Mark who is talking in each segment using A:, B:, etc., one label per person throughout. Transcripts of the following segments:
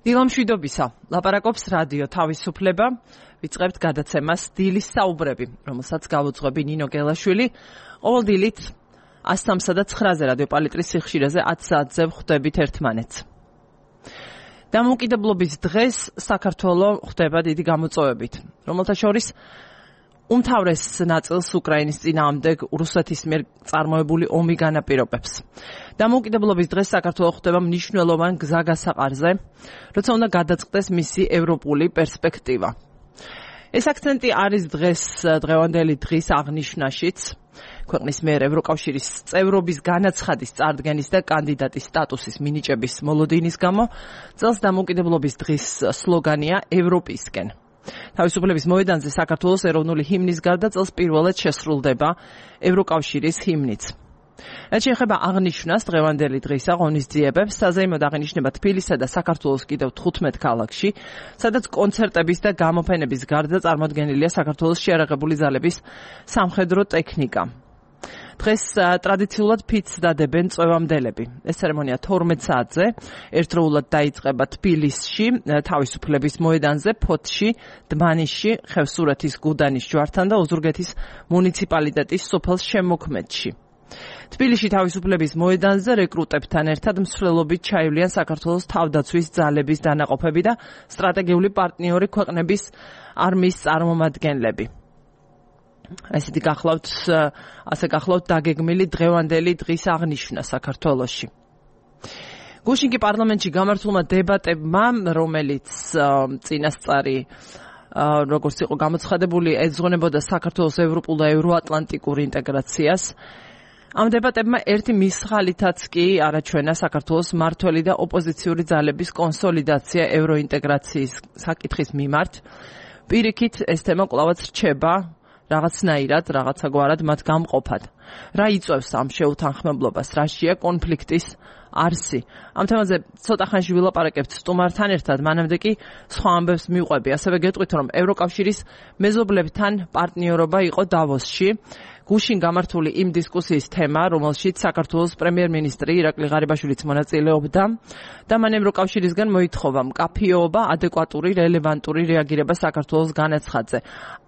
A: დილამშვიდობისა, ლაპარაკობს რადიო თავისუფლება, ვიწყებთ გადაცემას დილის საუბრები, რომელსაც გავუძღვები ნინო გელაშვილი. ყოველ დილით 103 და 9-ზე რადიო პალიტრის სიხშირეზე 10 საათზე ვხვდებით ერთმანეთს. დამოუკიდებლობის დღეს საქართველო ხვდება დიდი გამოწვევებით, რომელთა შორის უმთავრეს ნაწილს უკრაინის წინააღმდეგ რუსეთის მიერ წარმოებული ომი განაპირობებს. დამოუკიდებლობის დღეს საქართველო ხვდება მნიშვნელოვან გზაგასაყარზე, როცა უნდა გადაწყდეს მისი ევროპული პერსპექტივა. ეს აქცენტი არის დღევანდელი დღის აღნიშვნაშიც, ქვეყნის მიერ ევროკავშირის წევრობის განაცხადის წარდგენის და კანდიდატის სტატუსის მინიჭების მოლოდინის გამო, წელს დამოუკიდებლობის დღის სლოგანია ევროპისკენ. თავისუფლების მოედანზე საქართველოს ეროვნული ჰიმნის გარდა წელს პირველად შესრულდება ევროკავშირის ჰიმნიც. რაც შეეხება აღნიშვნას დღევანდელი დღისა ღონისძიებებს, საზეიმოდ აღინიშნება თბილისსა და საქართველოს კიდევ 15 ქალაქში, სადაც კონცერტების და გამოფენების გარდა წარმოდგენილია საქართველოს შეიარაღებული ძალების სამხედრო ტექნიკა. დღეს ტრადიციულად ფიცს დადებენ წვევამდელები. ეს ცერემონია 12 საათზე ერთდროულად დაიწყება თბილისში, თავისუფლების მოედანზე, ფოთში, დმანისში, ხევსურეთის გუდანის ჯვართან და ოზურგეთის მუნიციპალიტეტის სოფელ შემოქმედში. თბილისში თავისუფლების მოედანზე რეკრუტებთან ერთად მსვლელობით ჩაივლიან საქართველოს თავდაცვის ძალების დანაყოფები და სტრატეგიული პარტნიორი ქვეყნების არმიის წარმომადგენლები. ესეთი გახლავთ დაგეგმილი დღევანდელი დღის აღნიშვნა საქართველოში. გუშინ კი პარლამენტში გამართულმა დებატებმა, რომელიც წინასწარი როგორც იყო გამოცხადებული, ეძღვნებოდა საქართველოს ევროპულ და ევროატლანტიკურ ინტეგრაციას. ამ დებატებმა ერთი მისხალითაც კი არაჩვენა საქართველოს მმართველი და ოპოზიციური ძალების კონსოლიდაცია ევროინტეგრაციის საკითხის მიმართ. პირიქით ეს თემა კვლავაც რჩება რაღაცნაირად, რაღაცაგვარად მათ გამყოფად. რა იწვევს ამ შეუთანხმებლობას, რაშია კონფლიქტის არსი? ამ თემაზე ცოტა ხანში ვილაპარაკებთ სტუმართან ერთად, მანამდე კი სხვა ამბებს მივყვები. ასევე გეტყვით, რომ ევროკავშირის მეზობლებთან პარტნიორობა იყო დავოსში. გუშინ გამართული იმ დისკუსიის თემა, რომელშიც საქართველოს პრემიერ-მინისტრი ირაკლი ღარიბაშვილიც მონაწილეობდა და მან ევროკავშირისგან მოითხოვა მკაფიობა, ადეკვატური, რელევანტური რეაგირება საქართველოს განაცხადზე.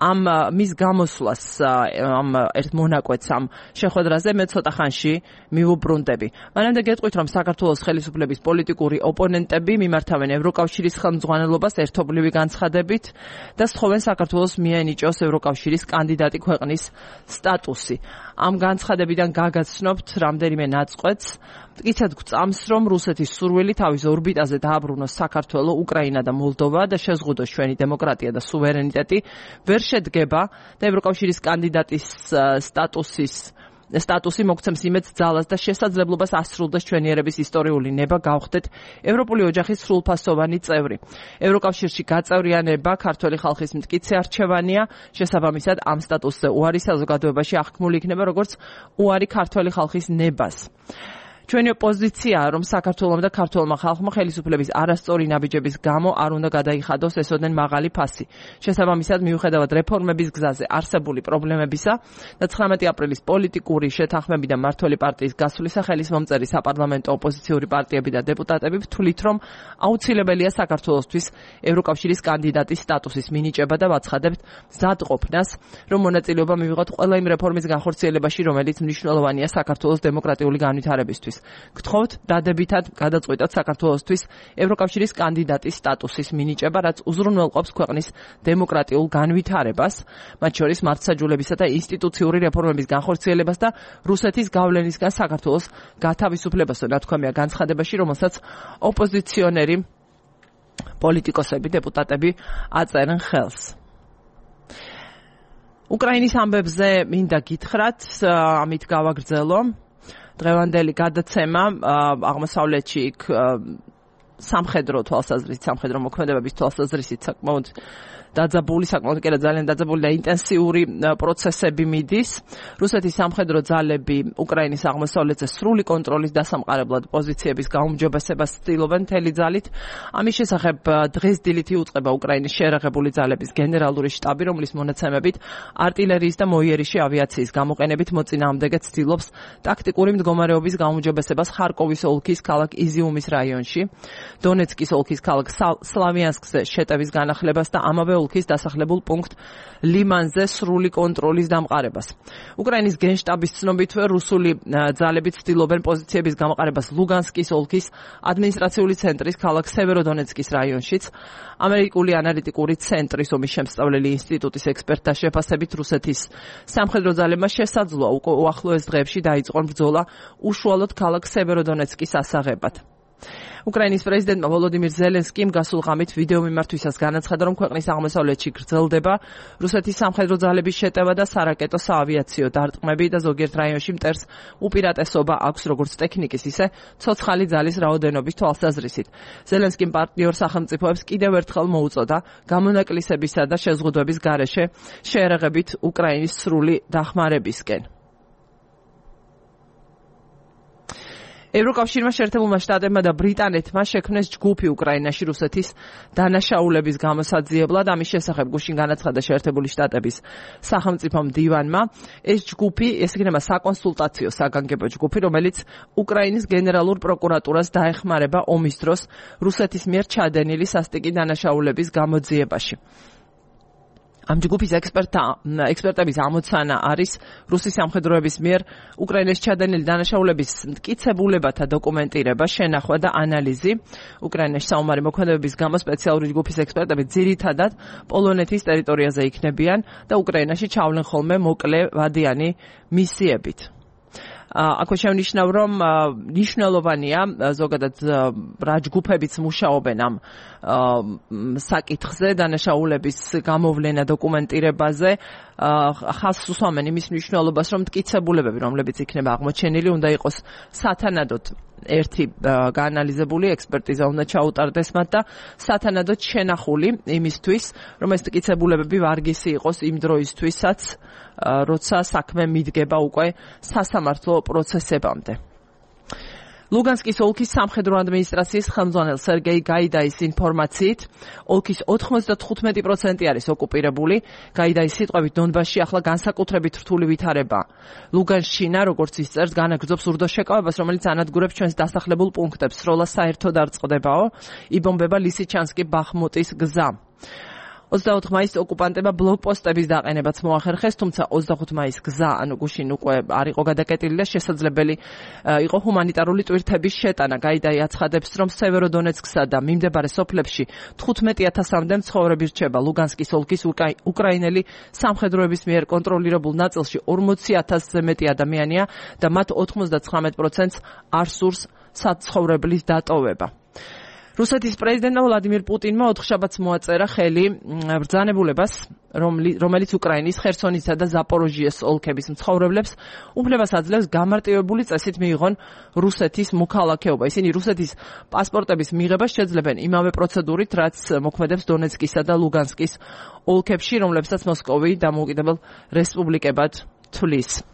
A: ამ მის გამოსვლას, ამ ერთ მონაკვეთს ამ შეხვედრაზე მე ცოტა ხანში მივუბრუნდები. მანამდე გეტყვით, რომ საქართველოს ხელისუფლების პოლიტიკური ოპონენტები მიმართავენ ევროკავშირის ხელმძღვანელობას ერთობლივი განცხადებით და სთხოვენ საქართველოს მიენიჭოს ევროკავშირის კანდიდატი ქვეყნის სტატუსი. ამ განცხადებიდან გაგაცნობთ რამდენიმე ნაწყვეტს. მტკიცედ გვწამს, რომ რუსეთის სურვილი თავის ორბიტაზე დააბრუნოს საქართველო, უკრაინა და მოლდოვა და შეზღუდოს ჩვენი დემოკრატია და სუვერენიტეტი ვერ შედგება და ევროკავშირის კანდიდატის სტატუსი მოგცემს იმედს ძალას და შესაძლებლობას ასრულდეს ჩვენი ერების ისტორიული ნება, გავხდეთ ევროპული ოჯახის სრულფასოვანი წევრი. ევროკავშირში გაწევრიანება ქართველი ხალხის მტკიცე არჩევანია, შესაბამისად ამ სტატუსზე უარი საზოგადოებაში აღქმული იქნება როგორც უარი ქართველი ხალხის ნებას. ჩვენი პოზიციაა, რომ საქართველომ და ქართველმა ხალხმა ხელისუფლების არასწორი ნაბიჯების გამო არ უნდა გადაიხადოს ესოდენ მაღალი ფასი. შესაბამისად, მიუხედავად რეფორმების გზაზე არსებული პრობლემებისა და 19 აპრილის პოლიტიკური შეთანხმები და მმართველი პარტიის გასვლისა, ხელისმომწერი საპარლამენტო ოპოზიციური პარტიები და დეპუტატები ვთვლით, რომ აუცილებელია საქართველოსთვის ევროკავშირის კანდიდატის სტატუსის მინიჭება და ვაცხადებთ მზადყოფნას, რომ მონაწილეობა მივიღოთ ყველა იმ რეფორმის განხორციელებაში, რომელიც მნიშვნელოვანია საქართველოს დემოკრატიული განვითარებისთვის. გთხოვთ დადებითად გადაწყვეტოთ საქართველოსთვის ევროკავშირის კანდიდატის სტატუსის მინიჭება, რაც უზრუნველყოფს ქვეყნის დემოკრატიულ განვითარებას, მათ შორის მართლმსაჯულებისა და ინსტიტუციური რეფორმების განხორციელებას და რუსეთის გავლენისგან საქართველოს გათავისუფლებას, ნათქვამია განცხადებაში, რომელსაც ოპოზიციონერი პოლიტიკოსები, დეპუტატები აწერენ ხელს. უკრაინის ამბებზე მინდა გითხრათ, ამით გავაგრძელო. დღევანდელი გადაცემა აღმოსავლეთში იქ სამხედრო თვალსაზრისით, სამხედრო მოქმედებების თვალსაზრისით საკმაოდ დაძაბული, საკმაოდ კი არა ძალიან დაძაბული და ინტენსიური პროცესები მიდის. რუსეთის სამხედრო ძალები უკრაინის აღმოსავლეთზე სრული კონტროლის დასამყარებლად პოზიციების გაუმჯობესებას ცდილობენ მთელი ძალით. ამის შესახებ დღეს დილით იუწყება უკრაინის შეერაღებული ძალების გენერალური შტაბი, რომლის მონაცემებით артиლერიის და მოიერიშე ავიაციის გამოყენებით მოწინააღმდეგე ცდილობს ტაქტიკური მდგომარეობის გაუმჯობესებას ხარკოვის ოლქის ქალაქ იზიუმის რაიონში, დონეცკის ოლქის ქალაქ სლავიანსკზე შეტევის განახლებას და ამავე ოლქის დასახლებულ პუნქტ ლიმანზე სრული კონტროლის დამყარებას. უკრაინის გენშტაბის ცნობით რუსული ძალები ცდილობენ პოზიციების გამოყენებას ლუგანსკის ოლქის ადმინისტრაციული ცენტრის ქალაქ სევეროდონეცკის რაიონშიც. ამერიკული ანალიტიკური ცენტრის ომის შემსწავლელი ინსტიტუტის ექსპერტთა შეფასებით რუსეთის სამხედრო ძალებმა შესაძლოა უახლოეს დღეებში დაიწყონ ბრძოლა უშუალოდ ქალაქ სევეროდონეცკის ასაღებად. უკრაინის პრეზიდენტმა ვოლოდიმირ ზელენსკიმ გასულ ღამით ვიდეო მიმართვისას განაცხადა, რომ ქვეყნის აღმოსავლეთში გრძელდება რუსეთის სამხედრო ძალების შეტევა და სარაკეტო საავიაციო დარტყმები და ზოგიერთ რაიონში მტერს უპირატესობა აქვს როგორც ტექნიკის, ისე ცოცხალი ძალის რაოდენობის თვალსაზრისით. ზელენსკიმ პარტნიორ სახელმწიფოებს კიდევ ერთხელ მოუწოდა გამონაკლისებისა და შეზღუდვების გარეშე შეერაღებით უკრაინის სრული დახმარებისკენ. ევროკავშირმა შეერთებულმა შტატებმა და ბრიტანეთმა შექმნეს ჯგუფი უკრაინაში რუსეთის დანაშაულების გამოსაძიებლად. ამის შესახებ გუშინ განაცხადა შეერთებული შტატების სახელმწიფო მდივანმა. ეს ჯგუფი იქნება საკონსულტაციო საგანგებო ჯგუფი, რომელიც უკრაინის გენერალურ პროკურატურას დაეხმარება ომის დროს რუსეთის მიერ ჩადენილი სასტიკი დანაშაულების გამოძიებაში. ამ ჯგუფის ექსპერტების ამოცანა არის რუსის სამხედროების მიერ უკრაინის ჩადენილი დანაშაულების მტკიცებულებათა დოკუმენტირება, შენახვა და ანალიზი. უკრაინაში საომარი მოქმედებების გამო სპეციალური ჯგუფის ექსპერტები ძირითადად პოლონეთის ტერიტორიაზე იქნებიან და უკრაინაში ჩავლენ ხოლმე მოკლე ვადიანი მისიებით. აქვე შევნიშნავ, რომ მნიშვნელოვანია ზოგადად რა ჯგუფებიც მუშაობენ ამ საკითხზე, დანაშაულების გამოვლენა დოკუმენტირებაზე. ხაზს უსვამენ იმის მნიშვნელობას, რომ მტკიცებულებები, რომლებიც იქნება აღმოჩენილი, უნდა იყოს სათანადოდ ერთი გაანალიზებული ექსპერტიზა უნდა ჩაუტარდეს მათ და სათანადოდ შენახული იმისთვის, რომ ეს მტკიცებულებები ვარგისი იყოს იმ დროისთვისაც, როცა საქმე მიდგება უკვე სასამართლო პროცესებამდე. ლუგანსკის ოლქის სამხედრო ადმინისტრაციის ხელმძღვანელ სერგეი გაიდაის ინფორმაციით, ოლქის 95% არის ოკუპირებული. გაიდაის სიტყვებით, დონბასში ახლა განსაკუთრებით რთული ვითარება. ლუგანშინა, როგორც ისწერს, განაგრძობს ურდოს შეკავებას, რომელიც ანადგურებს ჩვენს დასახლებულ პუნქტებს. სროლა საერთოდ არ წყდებაო, იბომბება ლისიჩანსკი ბახმუტის გზა. 24 მაისს ოკუპანტებმა ბლოკპოსტების დაყენებაც მოახერხეს, თუმცა 25 მაისს გზა, ანუ გუშინ უკვე არ იყო გადაკეტილი და შესაძლებელი იყო ჰუმანიტარული ტვირთების შეტანა. გაიდაი აცხადებს, რომ სევეროდონეცკსა და მიმდებარე სოფლებში 15000-მდე მცხოვრები რჩება. ლუგანსკის ოლქის უკრაინელი სამხედროების მიერ კონტროლირებულ ნაწილში 40000-ზე მეტი ადამიანია და მათ 99%-ს არ სურს საცხოვრებლის დატოვება. რუსეთის პრეზიდენტმა ვლადიმირ პუტინმა ოთხშაბათს მოაწერა ხელი ბრძანებულებას, რომელიც უკრაინის ხერსონისა და ზაპოროჟიეს ოლქების მცხოვრებლებს უფლებას აძლევს გამარტივებული წესით მიიღონ რუსეთის მოქალაქეობა. ისინი რუსეთის პასპორტების მიღებას შეძლებენ იმავე პროცედურით, რაც მოქმედებს დონეცკისა და ლუგანსკის ოლქებში, რომლებსაც მოსკოვი დამოუკიდებელ რესპუბლიკებად თვლის.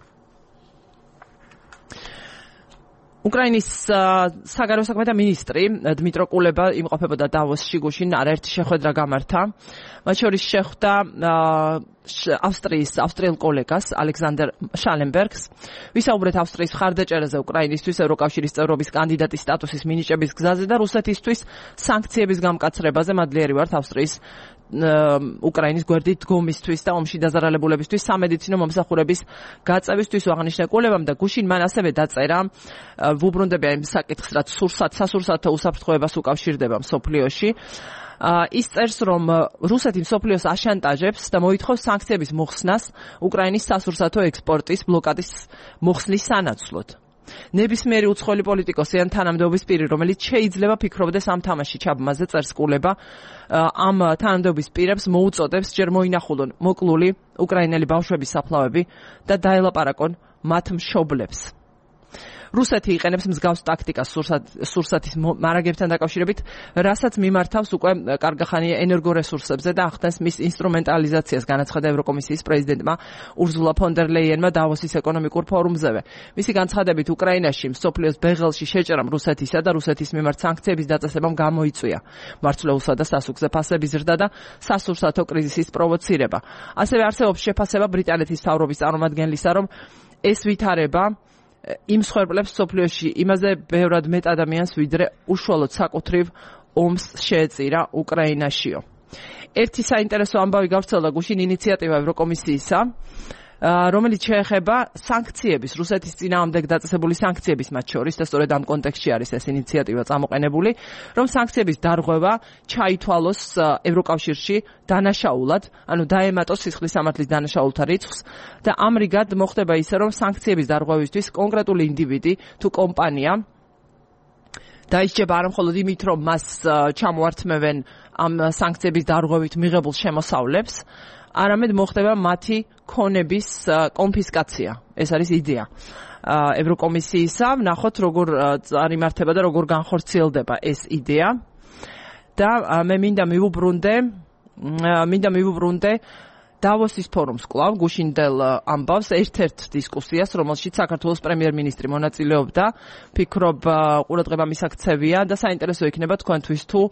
A: უკრაინის საგარეო საქმეთა მინისტრი დმიტრო კულება იმყოფებოდა დავოსში გუშინ არაერთი შეხვედრა გამართა. მათ შორის შეხვდა ავსტრიელ კოლეგას ალექსანდერ შალენბერგს. ვისაუბრეთ ავსტრიის მხარდაჭერაზე უკრაინისთვის ევროკავშირის წევრობის კანდიდატის სტატუსის მინიჭების გზაზე და რუსეთისთვის სანქციების გამკაცრებაზე. მადლიერი ვართ ავსტრიის უკრაინის გვერდით დგომისთვის და ომში დაზარალებულებისთვის სამედიცინო მომსახურების გაწევისთვის აღნიშნა კულებამ და გუშინ მან ასევე დაწერა ვუბრუნდებია იმ საკითხს, რაც სასურსათო უსაფრთხოებას უკავშირდება მსოფლიოში. ის წერს, რომ რუსეთი მსოფლიოს აშანტაჟებს და მოითხოვს სანქციების მოხსნას უკრაინის სასურსათო ექსპორტის ბლოკადის მოხსნის სანაცვლოდ. ნებისმიერი უცხოელი პოლიტიკოსი ან თანამდებობის პირი, რომელიც შეიძლება ფიქრობდეს ამ თამაში ჩაბმაზე, წერს კულება, ამ თანამდებობის პირებს მოუწოდებს ჯერ მოინახულონ მოკლული უკრაინელი ბავშვების საფლავები და დაელაპარაკონ მათ მშობლებს. რუსეთი იყენებს მსგავს ტაქტიკას სურსათის მარაგებთან დაკავშირებით, რასაც მიმართავს უკვე კარგახანია ენერგორესურსებზე და ახდენს მის ინსტრუმენტალიზაციას, განაცხადა ევროკომისიის პრეზიდენტმა ურზულა ფონ დერ ლეიენმა დავოსის ეკონომიკურ ფორუმზევე. მისი განცხადებით, უკრაინაში მსოფლიოს ბეღელში შეჭრამ რუსეთისა და რუსეთის მიმართ სანქციების დაწესებამ გამოიწვია მარცვლეულსა და სასუქზე ფასების ზრდა და სასურსათო კრიზისის პროვოცირება. ასევე არსებობს შეფასება ბრიტანეთის მთავრობის წარმომადგენლისა, რომ ეს ვითარება იმ მსხვერპლებს სოფლიოში იმაზე ბევრად მეტ ადამიანს ვიდრე უშუალოდ საკუთრივ ომს შეეწირა უკრაინაშიო. ერთი საინტერესო ამბავი გავრცელდა გუშინ ინიციატივა ევროკომისიისა, რომელიც შეეხება სანქციების, რუსეთის წინააღმდეგ დაწესებული სანქციების მათ შორის და სწორედ ამ კონტექსტში არის ეს ინიციატივა წამოყენებული, რომ სანქციების დარღვევა ჩაითვალოს ევროკავშირში დანაშაულად, ანუ დაემატოს სისხლის სამართლის დანაშაულთა რიცხვს და ამრიგად მოხდება ისე, რომ სანქციების დარღვევისთვის კონკრეტული ინდივიდი თუ კომპანია დაისჯება არა მხოლოდ იმით, რომ მას ჩამოართმევენ ამ სანქციების დარღვევით მიღებულ შემოსავლებს, არამედ მოხდება მათი ქონების კონფისკაცია. ეს არის იდეა ევროკომისიისა. ვნახოთ, როგორ წარიმართება და როგორ განხორციელდება ეს იდეა. და მე მინდა მივუბრუნდე დავოსის ფორუმს კვლავ გუშინდელ ამბავს ერთ-ერთ დისკუსიას, რომელშიც საქართველოს პრემიერ-მინისტრი მონაწილეობდა. ფიქრობ, ყურადღება მისაქცევია და საინტერესო იქნება თქვენთვის თუ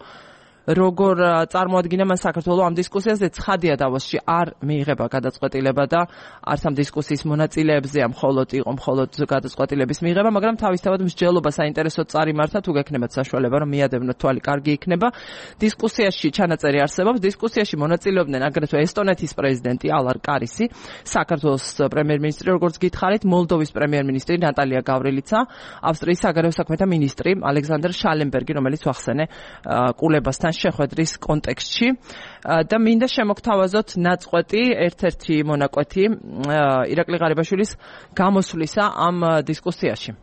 A: როგორ წარმოადგინა მას საქართველოს ამ დისკუსიაზე. ცხადია, დავოსში არ მიიღება გადაწყვეტილება და არც ამ დისკუსიის მონაწილეებზე იყო მხოლოდ გადაწყვეტილების მიღება, მაგრამ თავისთავად მსჯელობა საინტერესოდ წარიმართა, თუ გექნებათ საშუალება, რომ მიადევნოთ თვალი, კარგი იქნება. დისკუსიაში ჩანაწერი არსებობს. დისკუსიაში მონაწილეობდნენ აგრეთვე ესტონეთის პრეზიდენტი ალარ კარისი, საქართველოს პრემიერ-მინისტრი, როგორც გითხარით, მოლდოვის პრემიერ-მინისტრი ნატალია გავრილიცა, ავსტრიის საგარეო საქმეთა მინისტრი ალექსანდრ შალენბერგი, რომელიც ვახსენე კულებასთან შეხვედრის კონტექსტში და მინდა შემოგთავაზოთ ნაწყვეტი ერთ-ერთი მონაკვეთი ირაკლი ღარიბაშვილის გამოსვლისა ამ დისკუსიაში.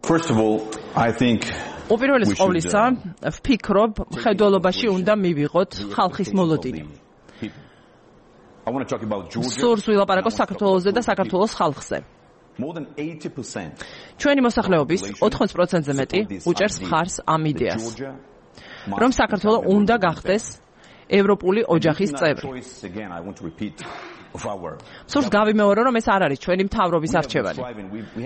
B: First of all, I think
A: უპირველეს ყოვლისა, ვფიქრობ, მხედველობაში უნდა მივიღოთ ხალხის მოლოდინი.
B: I want to talk about Georgia.
A: სურს ვილაპარაკოს საქართველოზე და საქართველოს ხალხზე.
B: More than 80%
A: ჩვენი მოსახლეობის 80%-ზე მეტი უჭერს მხარს ამ იდეას, რომ საქართველო უნდა გახდეს ევროპული ოჯახის წევრი. სურს გავიმეორო, რომ ეს არ არის ჩვენი მთავრობის არჩევანი.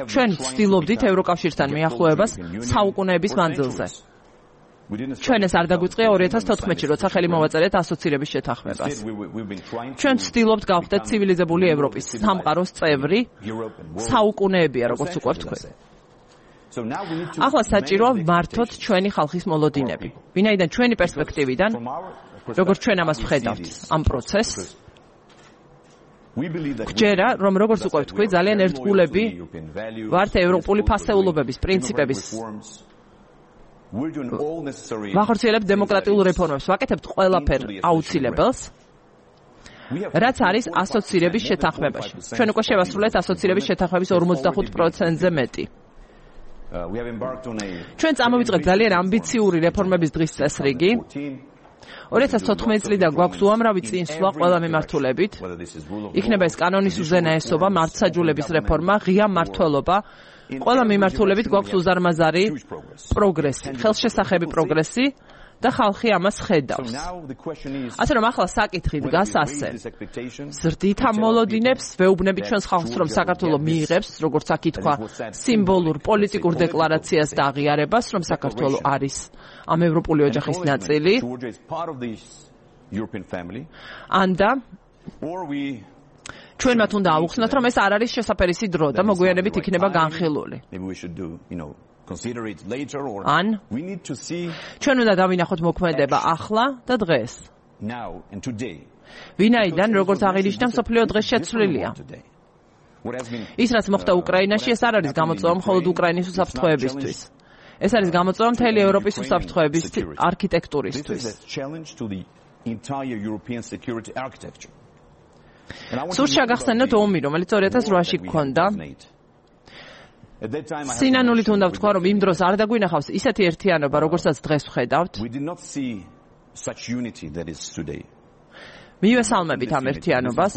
A: ჩვენ ვცდილობდით ევროკავშირთან მიახლოებას საუკუნეების მანძილზე. ჩვენ ეს არ დაგვიწყია 2014-ში, როცა ხელი მოვაწერეთ ასოცირების შეთანხმებას. ჩვენ ვცდილობთ გავხდეთ ცივილიზებული ევროპის სამყაროს წევრი საუკუნეებია, როგორც უკვე ვთქვით. ახლა საჭიროა ვმართოთ ჩვენი ხალხის მოლოდინები. ვინაიდან ჩვენი პერსპექტივიდან, როგორც ჩვენ ამას ვხედავთ ამ პროცესს, გჯერა, რომ როგორც უკვე ვთქვით, ძალიან ერთგულები ვართ ევროპული ფასეულობების, პრინციპების ვახორციელებთ დემოკრატიულ რეფორმებს, ვაკეთებთ ყველაფერ აუცილებელს, რაც არის ასოცირების შეთანხმებაში. ჩვენ უკვე შევასრულეთ ასოცირების შეთანხმების 45%-ზე მეტი. ჩვენ წამოვიწყეთ ძალიან ამბიციური რეფორმების დღის წესრიგი. 2014 წლიდან გვაქვს უამრავი წინსვლა ყველა მიმართულებით. იქნება ეს კანონის უზენაესობა, მართლმსაჯულების რეფორმა, ღია მმართველობა. ყველა მიმართულებით გვაქვს უზარმაზარი პროგრესი, ხელშესახები პროგრესი და ხალხი ამას ხედავს. ასე რომ ახლა საკითხი დგას ასე. ზრდით ამ მოლოდინებს, ვეუბნებით ჩვენს ხალხს, რომ საქართველო მიიღებს, როგორც აქ ითქვა, სიმბოლურ პოლიტიკურ დეკლარაციას და აღიარებას, რომ საქართველო არის ამ ევროპული ოჯახის ნაწილი. ანდა ჩვენ მათ უნდა ავუხსნათ, რომ ეს არ არის შესაფერისი დრო და მოგვიანებით იქნება განხილული. ან ჩვენ უნდა დავინახოთ მოქმედება ახლა და დღეს. ვინაიდან, როგორც აღინიშნა, მსოფლიო დღეს შეცვლილია. ის, რაც მოხდა უკრაინაში, ეს არ არის გამოწვევა მხოლოდ უკრაინის უსაფრთხოებისთვის. ეს არის გამოწვევა მთელი ევროპის უსაფრთხოების არქიტექტურისთვის. სურს შეგახსენოთ ომი, რომელიც 2008-ში გქონდა. სინანულით უნდა ვთქვა, რომ იმ დროს არ დაგვინახავს ისეთი ერთიანობა, როგორცაც დღეს ვხედავთ. მივესალმებით ამ ერთიანობას.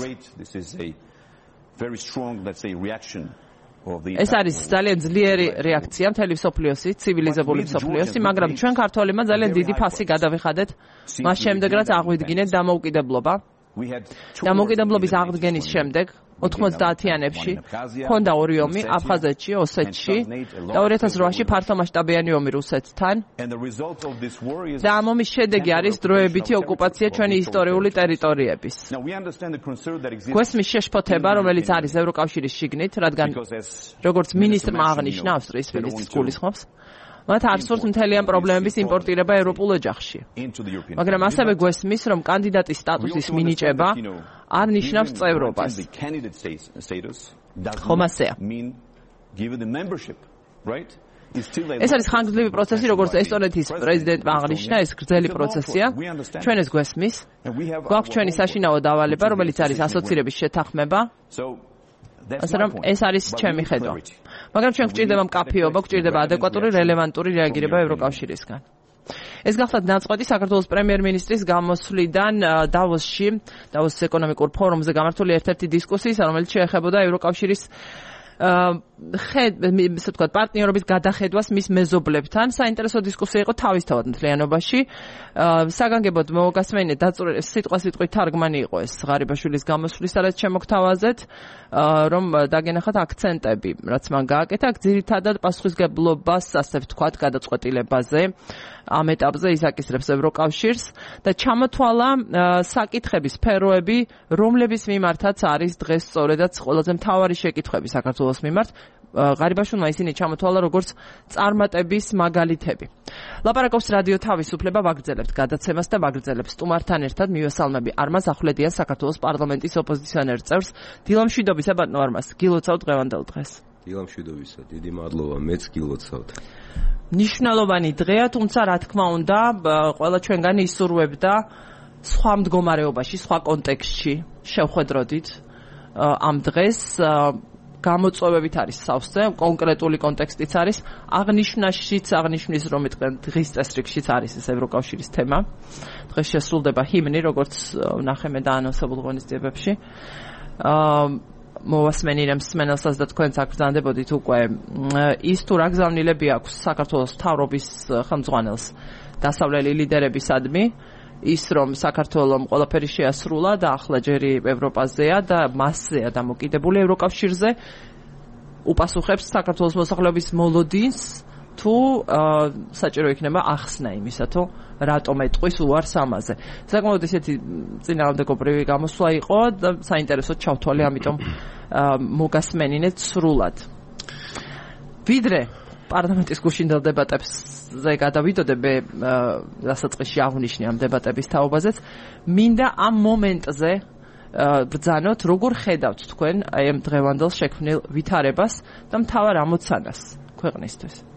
A: ეს არის ძალიან ძლიერი რეაქცია მთელი მსოფლიოსი, ცივილიზებული მსოფლიოსი, მაგრამ ჩვენ ქართველებმა ძალიან დიდი ფასი გადავიხადეთ მას შემდეგ, რაც აღვიდგინეთ დამოუკიდებლობა. დამოუკიდებლობის აღდგენის შემდეგ 90-იანებში ჰქონდა ორი ომი აფხაზეთში, ოსეთში და 2008-ში ფართომასშტაბიანი ომი რუსეთთან. და ამ ომის შედეგი არის დროებითი ოკუპაცია ჩვენი ისტორიული ტერიტორიების. გვესმის შეშფოთება, რომელიც არის ევროკავშირის შიგნით, რადგან როგორც მინისტრმა აღნიშნა ავსტრიის მინისტრს გულისხმობს, მათ არ სურთ მთლიან პრობლემების იმპორტირება ევროპულ ოჯახში. მაგრამ ასევე გვესმის, რომ კანდიდატის სტატუსის მინიჭება არ ნიშნავს წევრობას. ხომ ასეა? ეს არის ხანგრძლივი პროცესი, როგორც ესტონეთის პრეზიდენტმა აღნიშნა, ეს გრძელი პროცესია. ჩვენ ეს გვესმის. გვაქვს ჩვენი საშინაო დავალება, რომელიც არის ასოცირების შეთანხმება. ასე რომ ეს არის ჩემი ხედვა. მაგრამ ჩვენ გვჭირდება მკაფიობა, გვჭირდება ადეკვატური, რელევანტური რეაგირება ევროკავშირისგან. ეს გახლავთ ნაწყვეტი საქართველოს პრემიერ-მინისტრის გამოსვლიდან დავოსში, დავოსის ეკონომიკურ ფორუმზე გამართული ერთ-ერთი დისკუსიის, რომელიც შეეხებოდა ევროკავშირის ესე ვთქვათ, პარტნიორობის გადახედვას მის მეზობლებთან. საინტერესო დისკუსია იყო თავისთავად მთლიანობაში. საგანგებოდ მოგასმენინეთ, სიტყვით თარგმანი იყო ეს ღარიბაშვილის გამოსვლის, სადაც შემოგთავაზეთ, რომ დაგენახათ აქცენტები, რაც მან გააკეთა, ძირითადად პასუხისგებლობას, ასე ვთქვათ, გადაწყვეტილებაზე. ამ ეტაპზე ის აკისრებს ევროკავშირს და ჩამოთვალა საკითხების სფეროები, რომლების მიმართაც არის დღეს სწორედაც ყველაზე მთავარი შეკითხვები საქართველოს მიმართ. ღარიბაშვილმა ისინი ჩამოთვალა როგორც წარმატების მაგალითები. ლაპარაკობს რადიო თავისუფლება, ვაგრძელებთ გადაცემას და ვაგრძელებს სტუმართან ერთად მივესალმები არმაზ ახვლედიან საქართველოს პარლამენტის ოპოზიციონერ წევრს. დილამშვიდობისა ბატონო არმაზ, გილოცავთ დღევანდელ დღეს.
C: დილამშვიდობისა, დიდი მადლობა, მეც გილოცავთ.
A: ნიშნულოვანი დღეა, თუმცა რა თქმა უნდა, ყველა ჩვენგანი ისურვებდა სხვა მდგომარეობაში, სხვა კონტექსტში შევხვედროდით ამ დღეს. გამოწვევებით არის სავსე, კონკრეტული კონტექსტიც არის, აღნიშნის, რომ დღის წესრიგშიც არის ეს ევროკავშირის თემა. დღეს შესრულდება ჰიმნი, როგორც ვნახე და ანონსებულ ღონისძიებებში. მოვასმენინებ მსმენელსაც და თქვენც აგრძანდებოდით უკვე ის თუ რა გზავნილები აქვს საქართველოს მთავრობის ხელმძღვანელს დასავლელი ლიდერებისადმი, ის რომ საქართველოს ყველაფერი შეასრულა და ახლა ჯერი ევროპაზეა და მასზეა დამოკიდებული ევროკავშირზე, უპასუხებს საქართველოს მოსახლეობის მოლოდინს თუ საჭირო იქნება ახსნა იმისა, თუ რატომ ეტყვის უარს ამაზე. საკმაოდ ისეთი წინააღმდეგობრივი გამოსვლა იყო და საინტერესოდ ჩავთვალე, ამიტომ მოგასმენინეთ სრულად. ვიდრე პარლამენტის გუშინდელ დებატებზე გადავიდოდე, დასაწყისში აღვნიშნე ამ დებატების თაობაზეც, მინდა ამ მომენტზე ბრძანოთ, როგორ ხედავთ თქვენ ამ დღევანდელ შექმნილ ვითარებას და მთავარ ამოცანას ქვეყნისთვის.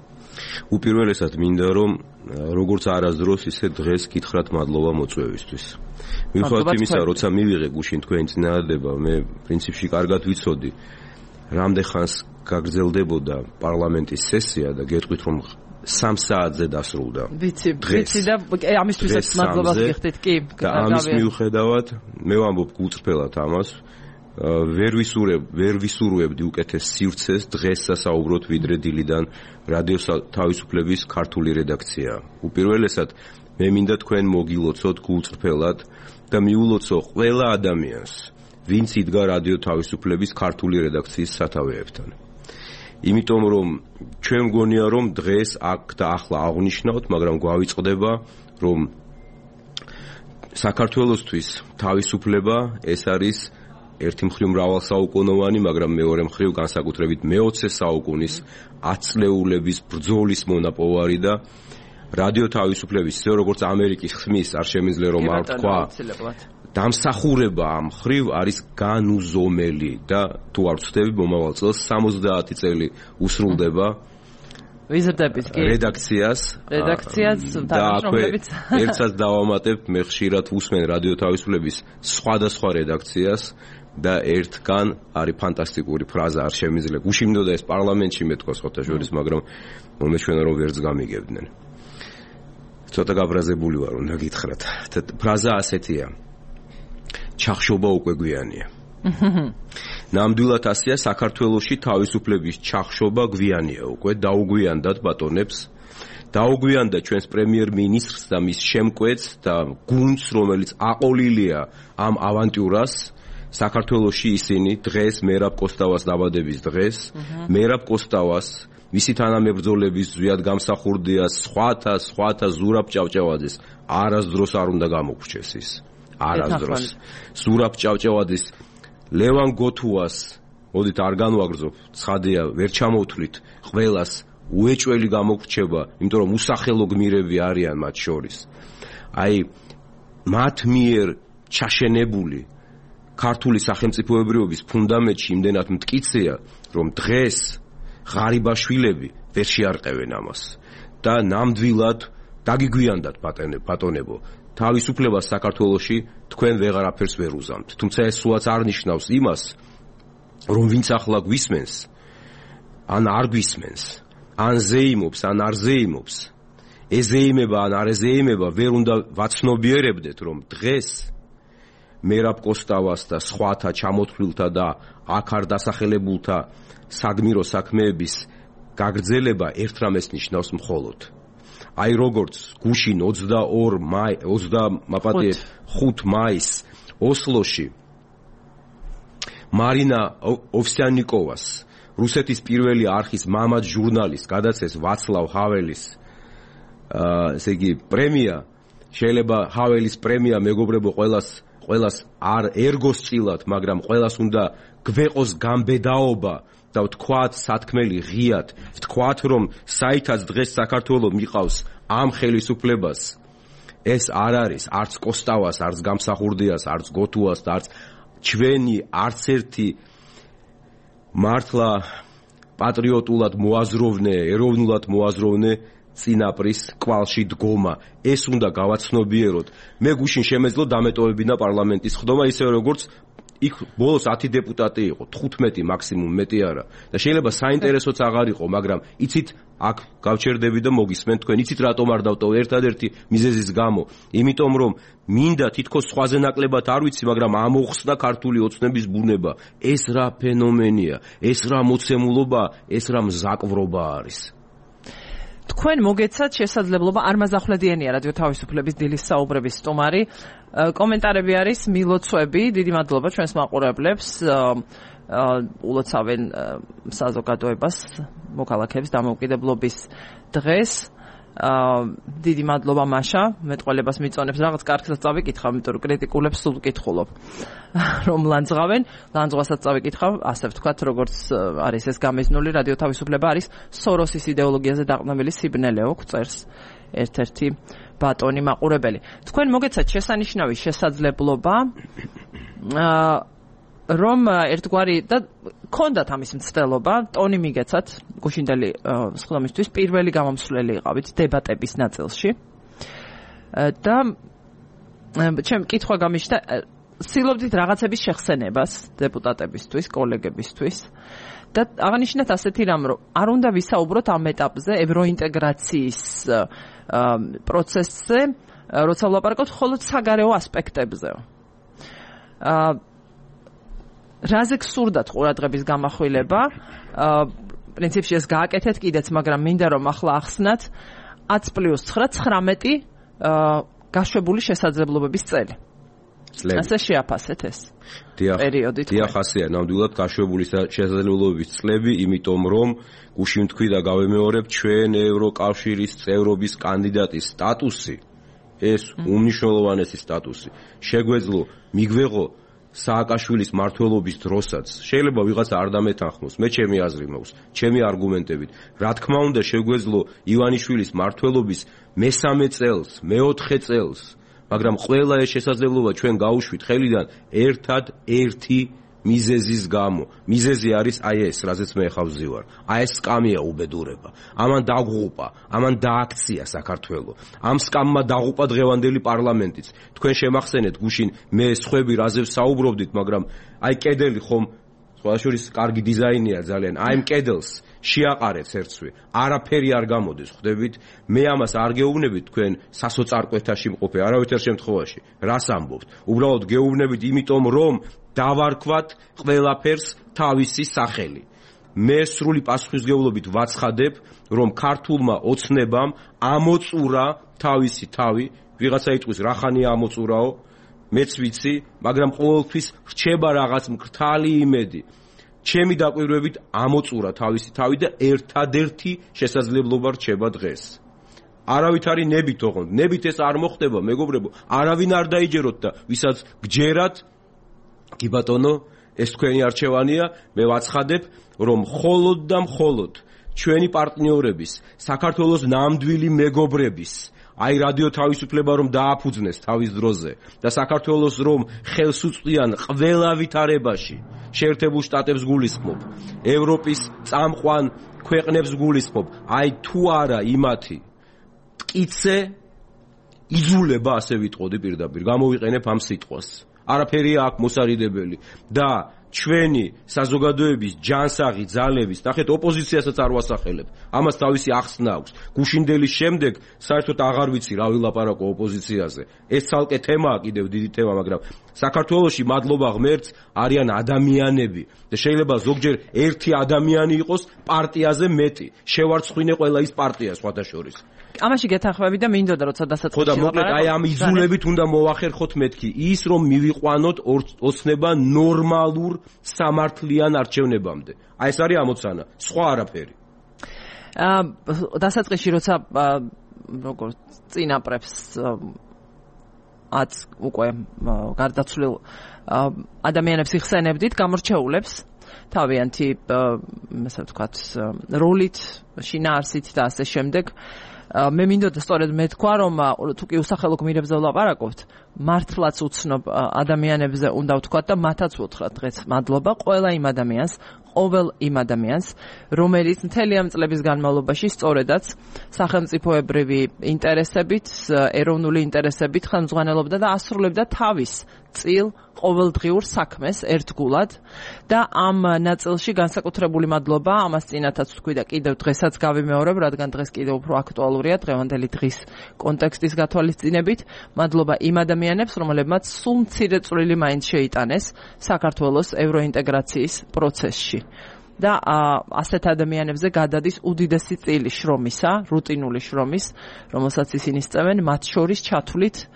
C: უპირველესად მინდა რომ როგორც არასდროს ისე დღეს გითხრათ მადლობა მოწვევისთვის. მიუხედავად იმისა, როცა მივიღე გუშინ თქვენი წინადადება, მე პრინციპში კარგად ვიცოდი, რამდენ ხანს გაგრძელდებოდა პარლამენტის სესია და გეტყვით რომ 3 საათზე დასრულდა.
A: ვიცი და ამისთვისაც მადლობას გიხდით, კი.
C: და ამის მიუხედავად მე ვამბობ გულწრფელად ამას, ვერ ვისურვებდი უკეთეს სივრცეს დღეს სასაუბროთ ვიდრე დილიდან რადიო თავისუფლების ქართული რედაქცია. უპირველესად მე მინდა თქვენ მოგილოცოთ გულწრფელად და მიულოცო ყველა ადამიანს, ვინც იდგა რადიო თავისუფლების ქართული რედაქციის სათავეებთან. იმიტომ რომ ჩვენ მგონია რომ დღეს აქ და ახლა აღვნიშნავთ, მაგრამ გვავიწყდება რომ საქართველოსთვის თავისუფლება ეს არის ერთი მხრივ მრავალსაუკუნოვანი, მაგრამ მეორე მხრივ განსაკუთრებით მე-20 საუკუნის ათწლეულების ბრძოლის მონაპოვარი და რადიო თავისუფლების, ისე როგორც ამერიკის ხმის, არ შემიძლია რომ არ თქვა, დამსახურება ამ მხრივ არის განუზომელი და თუ არ ვცდები, მომავალ წელს 70 წელი უსრულდება
A: ვიზრდებით კი
C: რედაქციას
A: და
C: ერთსაც დავამატებ, მე ხშირად უსმენ რადიო თავისუფლების სხვადასხვა რედაქციას და ერთგან არის ფანტასტიკური ფრაზა, არ შემიძლია გუშინდოდა ეს პარლამენტში მეთქვა სხვათა შორის, მაგრამ მომეჩვენა რომ ვერც გამიგებდნენ. ცოტა გაბრაზებული ვარ, უნდა გითხრათ. ფრაზა ასეთია: ჩახშობა უკვე გვიანია. ნამდვილად ასეა საქართველოში თავისუფლების ჩახშობა გვიანია უკვე დაუგვიანდათ ბატონებს დაუგვიანდა ჩვენს პრემიერ-მინისტრს და მის შემკვეთს და გუნდს რომელიც აყოლილია ამ ავანტიურას საქართველოში ისინი დღეს მერაბ კოსტავას დაბადების დღეს მერაბ კოსტავას მისი თანამებრძოლების ზვიად გამსახურდიას სხვათა ზურაბ ჭავჭავაძეს არასდროს არ უნდა გამოგვრჩეს ის არასდროს ზურაბ ჭავჭავაძის ლევან გოთუას მოდით არ განვაგრძობ ცხადია ვერ ჩამოვთვლით ყველას უეჭველი გამოგვრჩება იმიტომ რომ უსახელო გმირები არიან მათ შორის აი მათ მიერ ჩაშენებული ქართული სახელმწიფოებრიობის ფუნდამენტში იმდენად მტკიცეა რომ დღეს ღარიბაშვილები ვერ შეარყევენ ამას და ნამდვილად დაგიგვიანდათ ბატონებო თავისუფლებას საქართველოში თქვენ ვეღარაფერს ვერ უზამთ თუმცა ეს სულაც არ ნიშნავს იმას რომ ვინც ახლა გვისმენს ან არ გვისმენს ან ზეიმობს ან არ ზეიმობს ეზეიმება ან არ ეზეიმება ვერ უნდა ვაცნობიერებდეთ რომ დღეს მერაბ კოსტავას და სხვათა ჩამოთვლილთა და აქ არ დასახელებულთა საგმირო საქმეების გაგრძელება ერთ რამეს ნიშნავს მხოლოდ აი როგორც გუშინ 5 მაისს ოსლოში მარინა ოვსიანიკოვას რუსეთის პირველი არხის მამად ჟურნალისტს გადაცეს ვაცლავ ჰაველის ესე იგი პრემია შეიძლება ჰაველის პრემია მეგობრებო ყველას არ ერგოს წილად მაგრამ ყველას უნდა გვეყოს გამბედაობა და ვთქვათ სათქმელი ღიად ვთქვათ რომ საითაც დღეს საქართველოს მიყავს ამ ხელისუფლებას ეს არ არის არც კოსტავას არც გამსახურდიას არც გოთუას და არც ჩვენი არც ერთი მართლა პატრიოტულად მოაზროვნე ეროვნულად მოაზროვნე წინაპრის კვალში დგომა ეს უნდა გავაცნობიეროთ მე გუშინ შემეძლო დამეტოვებინა პარლამენტის ხდომა ისე როგორც იქ ბოლოს 10 დეპუტატი იყო 15 მაქსიმუმ მეტი არა და შეიძლება საინტერესოც აღარ იყო მაგრამ იცით აქ გავჩერდები და მოგისმენთ თქვენ იცით რატომ არ დავტოვე ერთადერთი მიზეზის გამო იმიტომ რომ მინდა თითქოს სხვაზე ნაკლებად არ ვიცი მაგრამ ამოხსნა ქართული ოცნების ბუნება ეს რა ფენომენია ეს რა მოცემულობა ეს რა მზაკვრობა არის
A: თქვენ მოგეცათ შესაძლებლობა არ მაზახვლედიანია რადიო თავისუფლების დილის საუბრების სტუმარი კომენტარები არის მილოცვები დიდი მადლობა ჩვენს მაყურებლებს ულოცავენ საზოგადოებას მოქალაქეებს დამოუკიდებლობის დღეს დიდი მადლობა მაშა მეტყველებას მიწონებს რაღაც კარგსაც წავიკითხავ იმიტომ რომ კრიტიკულებს სულ ვკითხულობ რომ ლანძღავენ ლანძღვასაც წავიკითხავ ასე ვთქვათ როგორც არის ეს გამიზნული რადიო თავისუფლება არის სოროსის იდეოლოგიაზე დაყრდნობილი სიბნელეო წერს ერთ-ერთი ბატონი მაყურებელი თქვენ მოგეცათ შესანიშნავი შესაძლებლობა რომ ერთგვარი და ქონდათ ამის მცდელობა ტონი მიგეცათ გუშინდელი სხდომისთვის პირველი გამომსვლელი იყავით დებატების ნაწილში და ჩემ კითხვა გამიშთა ცდილობდით რაღაცების შეხსენებას დეპუტატებისთვის კოლეგებისთვის და აღნიშნეთ ასეთი რამ რომ არ უნდა ვისაუბროთ ამ ეტაპზე ევროინტეგრაციის პროცესზე როცა ვლაპარაკობთ მხოლოდ საგარეო ასპექტებზე რაზე გსურდათ ყურადღების გამახვილება პრინციპში ეს გააკეთეთ კიდეც მაგრამ მინდა რომ ახლა ახსნათ 10+9 გაშვებული შესაძლებლობების წელი ასე შეაფასეთ ეს პერიოდი
C: დიახ ასეა ნამდვილად გაშვებული შესაძლებლობების წლები იმიტომ რომ გუშინ თქვი და გავემეორებ ჩვენ ევროკავშირის წევრობის კანდიდატის სტატუსი ეს უმნიშვნელოვანესი სტატუსი შეგვეძლო მიგვეღო სააკაშვილის მმართველობის დროსაც შეიძლება ვიღაცა არ დამეთანხმოს მე ჩემი აზრი მაქვს ჩემი არგუმენტებით რა თქმა უნდა შეგვეძლო ივანიშვილის მმართველობის მესამე წელს მეოთხე წელს მაგრამ ყველა ეს შესაძლებლობა ჩვენ გაუშვით ხელიდან ერთად-ერთი მიზეზის გამო მიზეზი არის აი ეს რაზეც მე ხავ ვზივარ აი ეს სკამია უბედურება ამან დაღუპა ამან დააქცია საქართველო ამ სკამმა დაღუპა დღევანდელი პარლამენტიც თქვენ შემახსენეთ გუშინ მე სხვები რაზე ვსაუბრობდით მაგრამ აი კედელი ხომ სხვა შორის კარგი დიზაინია ძალიან. აი ამ კედელს შეაყარეთ ერთსვე. არაფერი არ გამოდის, ხვდებით? მე ამას არ გეუბნებით თქვენ სასოწარკვეთაში მყოფე, არავითარ შემთხვევაში. რას ამბობთ? უბრალოდ გეუბნებით იმიტომ, რომ დავარქვათ ყველაფერს თავისი სახელი. მე სრული პასუხისმგებლობით ვაცხადებ, რომ ქართულმა ოცნებამ ამოწურა თავისი თავი, ვიღაცა იტყვის რახანია ამოწურაო, მეც ვიცი, მაგრამ ყოველთვის რჩება რაღაც მკრთალი იმედი. ჩემი დაკვირვებით ამოწურა თავისი თავი და ერთადერთი შესაძლებლობა რჩება დღეს. არავითარი ნებით ოღონდ, ნებით ეს არ მოხდება, მეგობრებო, არავინ არ დაიჯეროთ და ვისაც გჯერათ, კი ბატონო, ეს თქვენი არჩევანია, მე ვაცხადებ, რომ მხოლოდ და მხოლოდ ჩვენი პარტნიორების, საქართველოს ნამდვილი მეგობრების, აი რადიო თავისუფლება რომ დააფუძნეს თავის დროზე და საქართველოს რომ ხელს უწყდიან ყველა ვითარებაში, შეერთებულ შტატებს გულისხმობ, ევროპის წამყვან ქვეყნებს გულისხმობ, აი თუ არა იმათი მტკიცე იძულება, ასე ვიტყოდი პირდაპირ, გამოვიყენებ ამ სიტყვას. არაფერია აქ მოსარიდებელი და ჩვენი საზოგადოების ჯანსაღი ძალების, ნახეთ, ოპოზიციასაც არ ვასახელებ. ამას თავისი ახსნა აქვს. გუშინდელის შემდეგ საერთოდ აღარ ვიცი რა ვილაპარაკო ოპოზიციაზე. ეს ცალკე თემაა, კიდევ დიდი თემა, მაგრამ საქართველოში მადლობა ღმერთს არიან ადამიანები და შეიძლება ზოგჯერ ერთი ადამიანი იყოს პარტიაზე მეტი. შევარცხვინე ყველა ის პარტია სხვათა შორის.
A: ამაში გეთანხმები და მინდოდა როცა დასაწყისში
C: ხო და მოკლედ აი ამ იზოლებით უნდა მოვახერხოთ მეთქი ის რომ მივიყვანოთ ოცნება ნორმალურ სამართლიან არჩევნებამდე. აი ეს არის ამოცანა, სხვა არაფერი.
A: დასაწყისში როცა როგორ წინაპრებს უკვე გარდაცვლილ ადამიანებს იხსენებდით, გამორჩეულებს თავიანთი ასე ვთქვათ როლით, შინაარსით და ასე შემდეგ. მე მინდოდა სწორედ მეთქვა, რომ თუ კი უსახელო გმირებზე ვლაპარაკობთ, მართლაც უცნობ ადამიანებზე უნდა ვთქვათ და მათაც ვუთხრათ დღეს მადლობა ყველა იმ ადამიანს, ყოველ იმ ადამიანს, რომელიც მთელი ამ წლების განმავლობაში სწორედაც სახელმწიფოებრივი ინტერესებით, ეროვნული ინტერესებით ხელმძღვანელობდა და ასრულებდა თავის წილ ყოველდღიურ საქმეს ერთგულად და ამ ნაწილში განსაკუთრებული მადლობა ამას წინათაც ვთქვი და კიდევ დღესაც გავიმეორებ, რადგან დღეს კიდევ უფრო აქტუალურია დღევანდელი დღის კონტექსტის გათვალისწინებით. მადლობა იმ ადამიანებს, რომლებმაც სულ მცირე წვლილი მაინც შეიტანეს საქართველოს ევროინტეგრაციის პროცესში. და ასეთ ადამიანებზე გადადის უდიდესი წილი შრომისა, რუტინული შრომის, რომელსაც ისინი სწევენ, მათ შორის ჩათვლით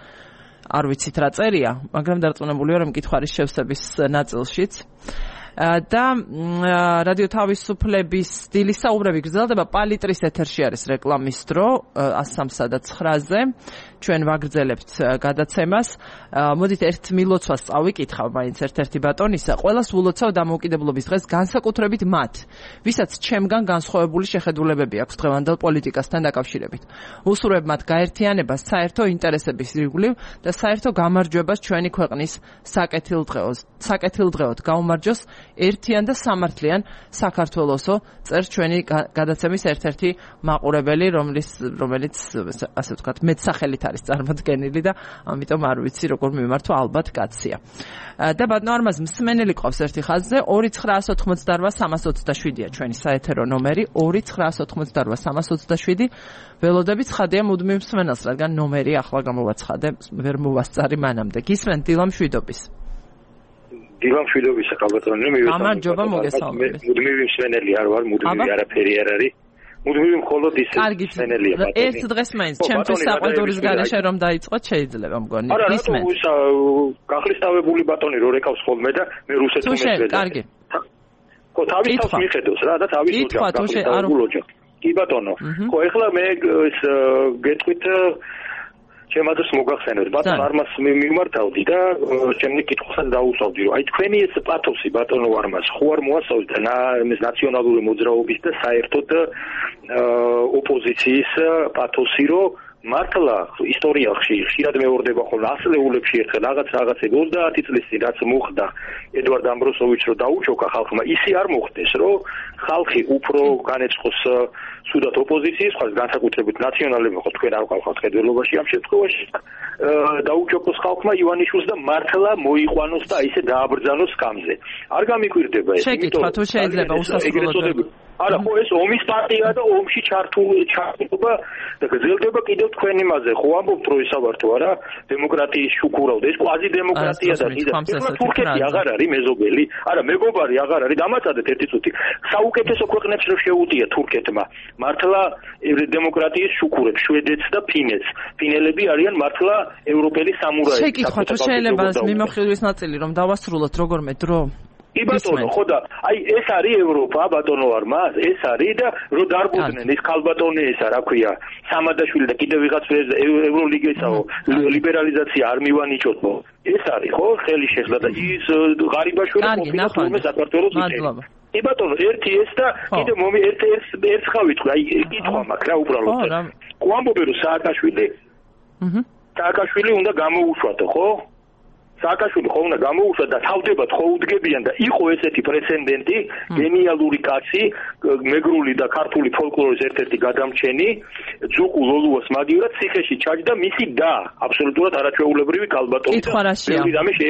A: არ ვიცით რა წერია, მაგრამ დარწმუნებული ვარ, რომ მკითხარის შევსების ნაწილშიც. და რადიო თავისუფლების დილის საუბრები გრძელდება პალიტრის ეთერში არის რეკლამის დრო 103-სა და 9-ზე. ჩვენ ვაგრძელებთ გადაცემას. მოდით ერთ მილოცვას წავიკითხავ, მაინც ერთ-ერთი ბატონისა. ყველას ვულოცავ დამოუკიდებლობის დღეს, განსაკუთრებით მათ, ვისაც ჩემგან განსხვავებული შეხედულებები აქვს დღევანდელ პოლიტიკასთან დაკავშირებით. უსურვებ მათ გაერთიანებას საერთო ინტერესების ირგვლივ და საერთო გამარჯვებას ჩვენი ქვეყნის საკეთილდღეოდ გაუმარჯოს ერთიან და სამართლიან საქართველოსო, წერს ჩვენი გადაცემის ერთ-ერთი მაყურებელი, რომელიც ასე ვთქვათ, მეტსახელით არის წარმოდგენილი და ამიტომ არ ვიცი როგორ მიმართვა, ალბათ კაცია. და ბატონო არმაზ მსმენელი ყავს ერთი ხაზზე 2988327-ია ჩვენი საეთერო ნომერი 2988327. ველოდებით ცხადია მუდმივ მსმენელს, რადგან ნომერი ახლა გამოვაცხადე, ვერ მოვასწარი მანამდე. გისმენთ დილა მშვიდობის.
D: დილა მშვიდობისა, კალბატონი,
A: გამარჯობა, მოგესალმებით.
D: მუდმივი მსმენელი არ ვარ, მუდმივი არაფერი არ არის. მუდმივი მხოლოდ ის მსმენელია, ბატონი.
A: ერთ დღეს მაინც ჩემთვის საყვედურის გარეშე რომ დაიწყოთ შეიძლება მგონი.
D: გისმენთ. არა, გახლისტავებული ბატონი რო რეკავს ხოლმე და მე რუსეთს
A: მესვედა. კარგი.
D: ხო, თავის თავს მიხედავს რა და თავის ოჯახს. კი ბატონო. ხო, ეხლა მე გეტყვით ჩემადაც მოგახსენებთ, ბატონ არმას მიმართავდი და ჩემი კითხვასაც დაუსვავდი, რომ აი თქვენი ეს პათოსი ბატონო არმას ხო არ მოასწავთ ნაციონალური მოძრაობის და საერთოდ ოპოზიციის პათოსი, რომ მართლა ისტორიაში ხშირად მეორდება ხოლმე ასლეულებში ერთხელ რაღაცები 30 წლის წინ რაც მოხდა ედვარდ ამბროსოვიჩს რო დაუჩოქა ხალხმა ისე არ მოხდეს რომ ხალხი უფრო განეწყოს სუდათ ოპოზიციის ხალხს განსაკუთრებით ნაციონალები ხო თქვენ არ ყავთ ხედველობაში ამ შემთხვევაში დაუჩოქოს ხალხმა ივანიშვილს და მართლა მოიყვანოს და ისე დააბრძანოს სკამზე არ გამიკვირდება ეს
A: შეკითხვა თუ შეიძლება უსასრულოდ
D: არა ხო ეს ომის პარტია და ომში ჩართულობა და გრძელდება კიდევ თქვენ იმაზე ხო ამბობთ რომ ისაბართო არა დემოკრატიის შუქურავდა ეს კვაზი დემოკრატია და თურქეთი აღარ არის მეზობელი არა მეგობარი აღარ არის დამაწადეთ ერთი წუთი საუკეთესო ქვეყნებს რო შეუდია თურქეთმა მართლა დემოკრატიის შუქურებს შვედეთს და ფინელები არიან მართლა ევროპელი სამურაები
A: შეკითხვა თუ შეიძლება მიმოხილვის ნაწილი რომ დავასრულოთ როგორმე დრო
D: კი ბატონო, ხო და აი ეს არის ევროპა ბატონო არ მას, ეს არის და რო დარბოდნენ ეს ქალბატონი ესა რა ქვია, სამადაშვილი და კიდევ ვიღაც ევროლიგისაო ლიბერალიზაცია არ მივანიჭოთ. ეს არის ხო, ხელი შეხლა და ის ღარიბაშვილი ყოფილა თურმე საქართველოს უთელი. კი ბატონო, ერთი ეს და კიდევ ერთ ხავით, აი კითხვა მაქვს რა უბრალოდ. ყوامბობენ რომ სააკაშვილი უნდა გამოუშვათო, ხო? სააკაშვილი ხო უნდა გამოუშვა და თავდებად ხო უდგებიან და იყო ესეთი პრეცედენტი გენიალური კაცი მეგრული და ქართული ფოლკლორის ერთ-ერთი გადამჩენი ძუკუ ლოლუას მაგივრად ციხეში ჩაჯდა მისი და აბსოლუტურად არაჩვეულებრივი კალბატონი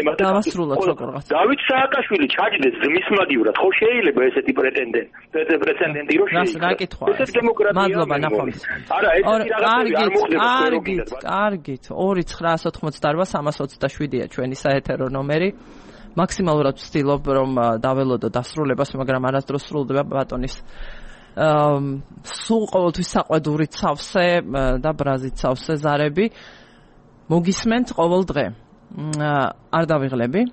A: და დავასრულოთ როგორღაც
D: დავით სააკაშვილი ჩაჯდეს ძმის მაგივრად ხო შეიძლება ესეთი პრეცედენტი რო
A: შეიძლება ესეთ დემოკრატია მადლობა ნახავთ
D: არა ესეთი რაღაცები არ მოხდება
A: კარგით 2-988-327-ია ჩვენი საეთერო ნომერი მაქსიმალურად ვცდილობ რომ დაველოდო დასრულებას მაგრამ არასდროს სრულდება ბატონის სულ ყოველთვის საყვედური ცავსე და ბრაზით ცავსე ზარები მოგისმენთ ყოველ დღე არ დავიღლები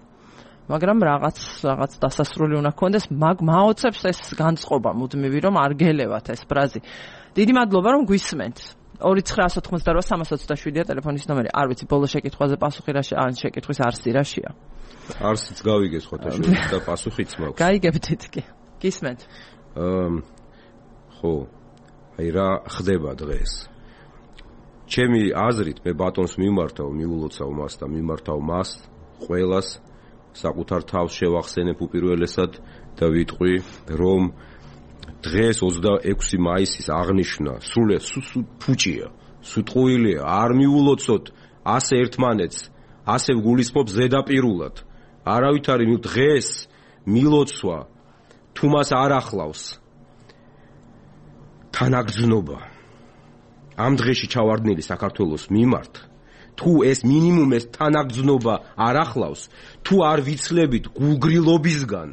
A: მაგრამ რაღაც დასასრული უნდა გქონდეს მაოცებს ეს განწყობა მუდმივი რომ არ გელევათ ეს ბრაზი დიდი მადლობა რომ გვისმენთ 2-988-327-ია ტელეფონის ნომერი. არ ვიცი, ბოლო შეკითხვაზე პასუხი რა ან შეკითხვის არსი რაშია?
C: არსიც გავიგეს ხოთაშვილს და პასუხიც მაქვს.
A: გაიგებდით კი. გისმენთ.
C: ხო. აი რა ხდება დღეს? ჩემი აზრით მე ბატონს მიმართავ, მიულოცავ მას და მიმართავ მას ყველას საკუთარ თავს შევახსენებ უპირველესად და ვიტყვი რომ დღეს 26 მაისის აღნიშვნა სრულად ფუჭია, სუტყუილია, არ მიულოცოთ ასე ერთმანეთს, ასე ვგულისხმობ ზედაპირულად. არავით არის დღეს მილოცვა თუ მას არ ახლავს თანაგრძნობა. ამ დღეში ჩავარდნილი საქართველოს მიმართ, თუ ეს მინიმუმ ეს თანაგრძნობა არ ახლავს, თუ არ ვიცლებით გულგრილობისგან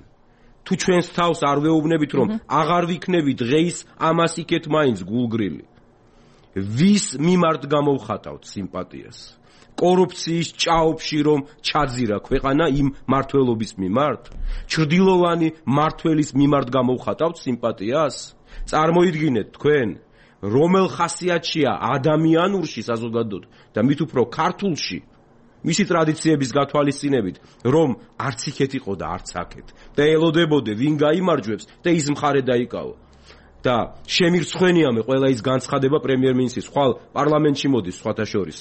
C: თუ ჩვენს თავს არ ვეუბნებით რომ აღარ ვიქნები დღეის ამას იქეთ მაინც გულგრილი ვის მიმართ გამოვხატავთ სიმპათიას კორუფციის ჭაობში რომ ჩაძირა ქვეყანა იმ მართველობის მიმართ ჩრდილოვანი მართველის მიმართ გამოვხატავთ სიმპათიას წარმოიდგინეთ თქვენ რომელ ხასიათშია ადამიანურში საზოგადოდ და მით უფრო ქართულში მისი ტრადიციების გათვალისწინებით, რომ არც იქეთ იყო და არც აქეთ. და ელოდებოდე ვინ გაიმარჯვებს და ის მხარე დაიკავო. და შემირცხვენიამე ყველა ის განცხადება პრემიერ-მინისტრის ხვალ პარლამენტში მოდის სხვათა შორის.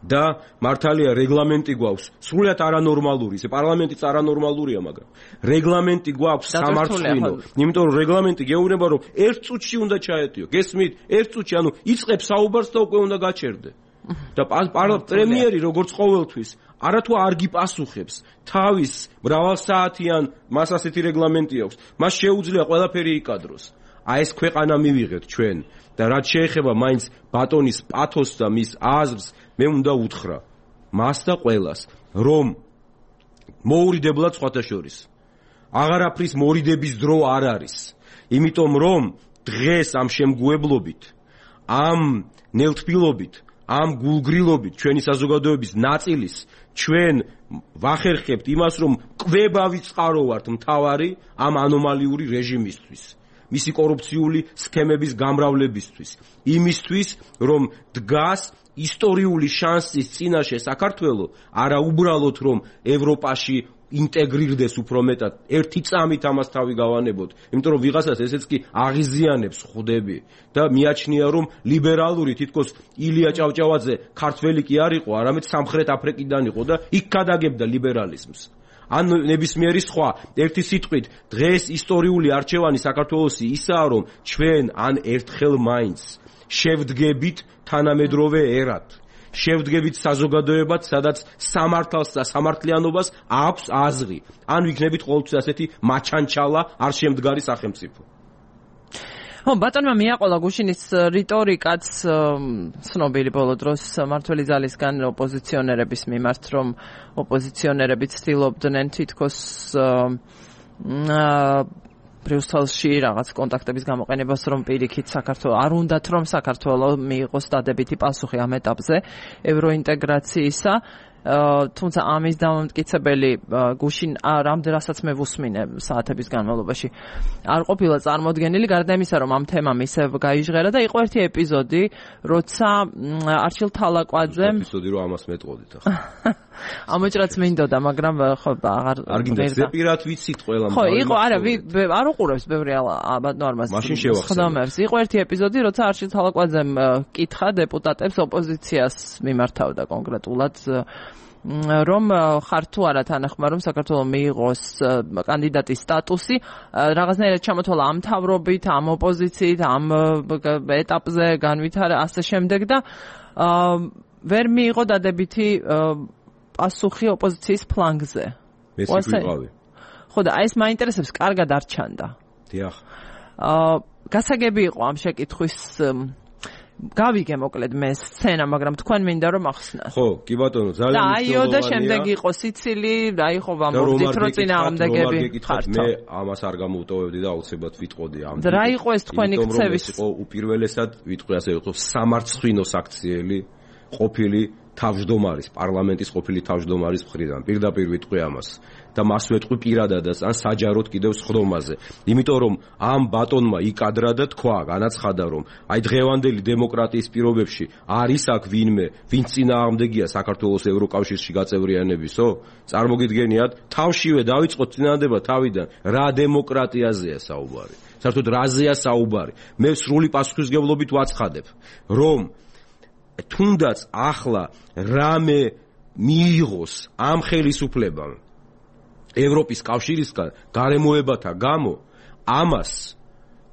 C: და მართალია რეგლამენტი გვაქვს, სრულიად არანორმალური, ეს პარლამენტიც არანორმალურია, მაგრამ რეგლამენტი გვაქვს სამართლინო. იმიტომ რომ რეგლამენტი გეუბნება რომ ერთ წუთში უნდა ჩაეტიო. გესმით? ერთ წუთში, ანუ იწყებს საუბარს და უკვე უნდა გაჩერდე. და პრემიერი როგორც ყოველთვის არათუ არ გიპასუხებს თავის მრავალსაათიან მას ასეთი რეგლამენტი აქვს მას შეუძლია ყველაფერი იკადროს აი ეს ქვეყანა მივიღეთ ჩვენ და რაც შეეხება მაინც ბატონის პათოსს და მის აზრს მე უნდა უთხრა მას და ყველას რომ მოურიდებლად სხვათა შორის აღარაფრის მორიდების დრო არ არის იმიტომ რომ დღეს ამ შემგუებლობით ამ ნელთბილობით ამ გულგრილობით ჩვენი საზოგადოების ნაწილის ჩვენ ვახერხებთ იმას რომ კვებავი წყარო ვართ მთავარი ამ ანომალიური რეჟიმისთვის მისი კორუფციული სქემების გამრავლებისთვის იმისთვის რომ დგას ისტორიული შანსის წინაშე საქართველო არა უბრალოდ რომ ევროპაში ინტეგრირდეს უფრო მეტად, ერთი წამით ამას თავი გავანებოთ, იმიტომ რომ ვიღაცას ესეც კი აღიზიანებს ხვდები და მიაჩნია რომ ლიბერალური თითქოს ილია ჭავჭავაძე ქართველი კი არ იყო, არამედ სამხრეთ აფრიკიდან იყო და იქ გადაგებდა ლიბერალიზმს. ან ნებისმიერი სხვა ერთი სიტყვით დღეს ისტორიული არჩევანი საქართველოსი ისაა რომ ჩვენ ან ერთხელ მაინც შევდგებით თანამედროვე ერად, შევდგებით საზოგადოებად, სადაც სამართალს და სამართლიანობას აქვს აზრი, ან ვიქნებით ყოველთვის ასეთი მაჩანჩალა არ შემდგარი სახელმწიფო.
A: ბატონმა მიაყოლა გუშინის რიტორიკაც ცნობილი ბოლო დროს მმართველი ძალისგან ოპოზიციონერების მიმართ, რომ ოპოზიციონერები ცდილობდნენ თითქოს ბრიუსელში რაღაც კონტაქტების გამოყენებას, რომ პირიქით საქართველოს არ უნდათ რომ საქართველოს მიიღოს დადებითი პასუხი ამ ეტაპზე ევროინტეგრაციისა, თუმცა ამის დამამტკიცებელი გუშინ რამდენადაც მე ვუსმინე საათების განმავლობაში არ ყოფილა წარმოდგენილი, გარდა იმისა რომ ამ თემამ ისევ გაიჟღერა და იყო ერთი ეპიზოდი, როცა არჩილ თალაკვაძემ
C: ეპიზოდი რომ ამას მეტყოდით ახლა
A: ამოჭრაც მინდოდა, მაგრამ ხო აღარ
C: გინდა პირად ვიცით ყველა
A: ხო იყო არ უყურებს ბევრი ნორმას
C: მაშინ შევახსენე.
A: იყო ერთი ეპიზოდი, როცა არჩილ თალაკვაძემ კითხა დეპუტატებს ოპოზიციას მიმართავდა კონკრეტულად რომ ხარ თუ არა თანახმა რომ საქართველოს მიიღოს კანდიდატის სტატუსი, რაღაცნაირად ჩამოთვალა ამ მთავრობით, ამ ოპოზიციით, ამ ეტაპზე განვითარა ასე შემდეგ და ვერ მიიღო დადებითი პასუხი ოპოზიციის ფლანგზე.
C: ეს ვიყავი.
A: ხო და ეს მაინტერესებს, კარგად არ ჩანდა.
C: დიახ.
A: გასაგები იყო ამ შეკითხვის გავიგე მოკლედ მე სცენა, მაგრამ თქვენ მინდა რომ ახსნათ.
C: ხო, კი ბატონო, ძალიან
A: მნიშვნელოვანია. და შემდეგ იყო სიცილი, აი ხო ვამბობდით რომ წინააღმდეგები ხართ.
C: მე ამას არ გამოვტოვებდი და აუცილებლად ვიტყოდი ამ.
A: და რა იყო ეს თქვენი ქცევის?
C: იყო უპირველესად ვიტყვი ასე იყო სამარცხვინო საქციელი ყოფილი თავმჯდომარის, პარლამენტის ყოფილი თავმჯდომარის მხრიდან. პირდაპირ ვიტყვი ამას. და მას ვეტყვი პირადადაც ან საჯაროდ კიდევ სხდომაზე. იმიტომ რომ ამ ბატონმა იკადრა და თქვა, განაცხადა რომ აი დღევანდელი დემოკრატიის პირობებში არის აქ ვინმე, ვინც წინააღმდეგია საქართველოს ევროკავშირში გაწევრიანებისო? წარმოგიდგენიათ, თავშივე დავიწყოთ წინადადება თავიდან, რა დემოკრატიაზეა საუბარი. საერთოდ რაზეა საუბარი? მე სრული პასუხისმგებლობით ვაცხადებ, რომ თუნდაც ახლა რამე მიიღოს ამ ხელისუფლებამ ევროპის კავშირისგან გარემოებათა გამო, ამას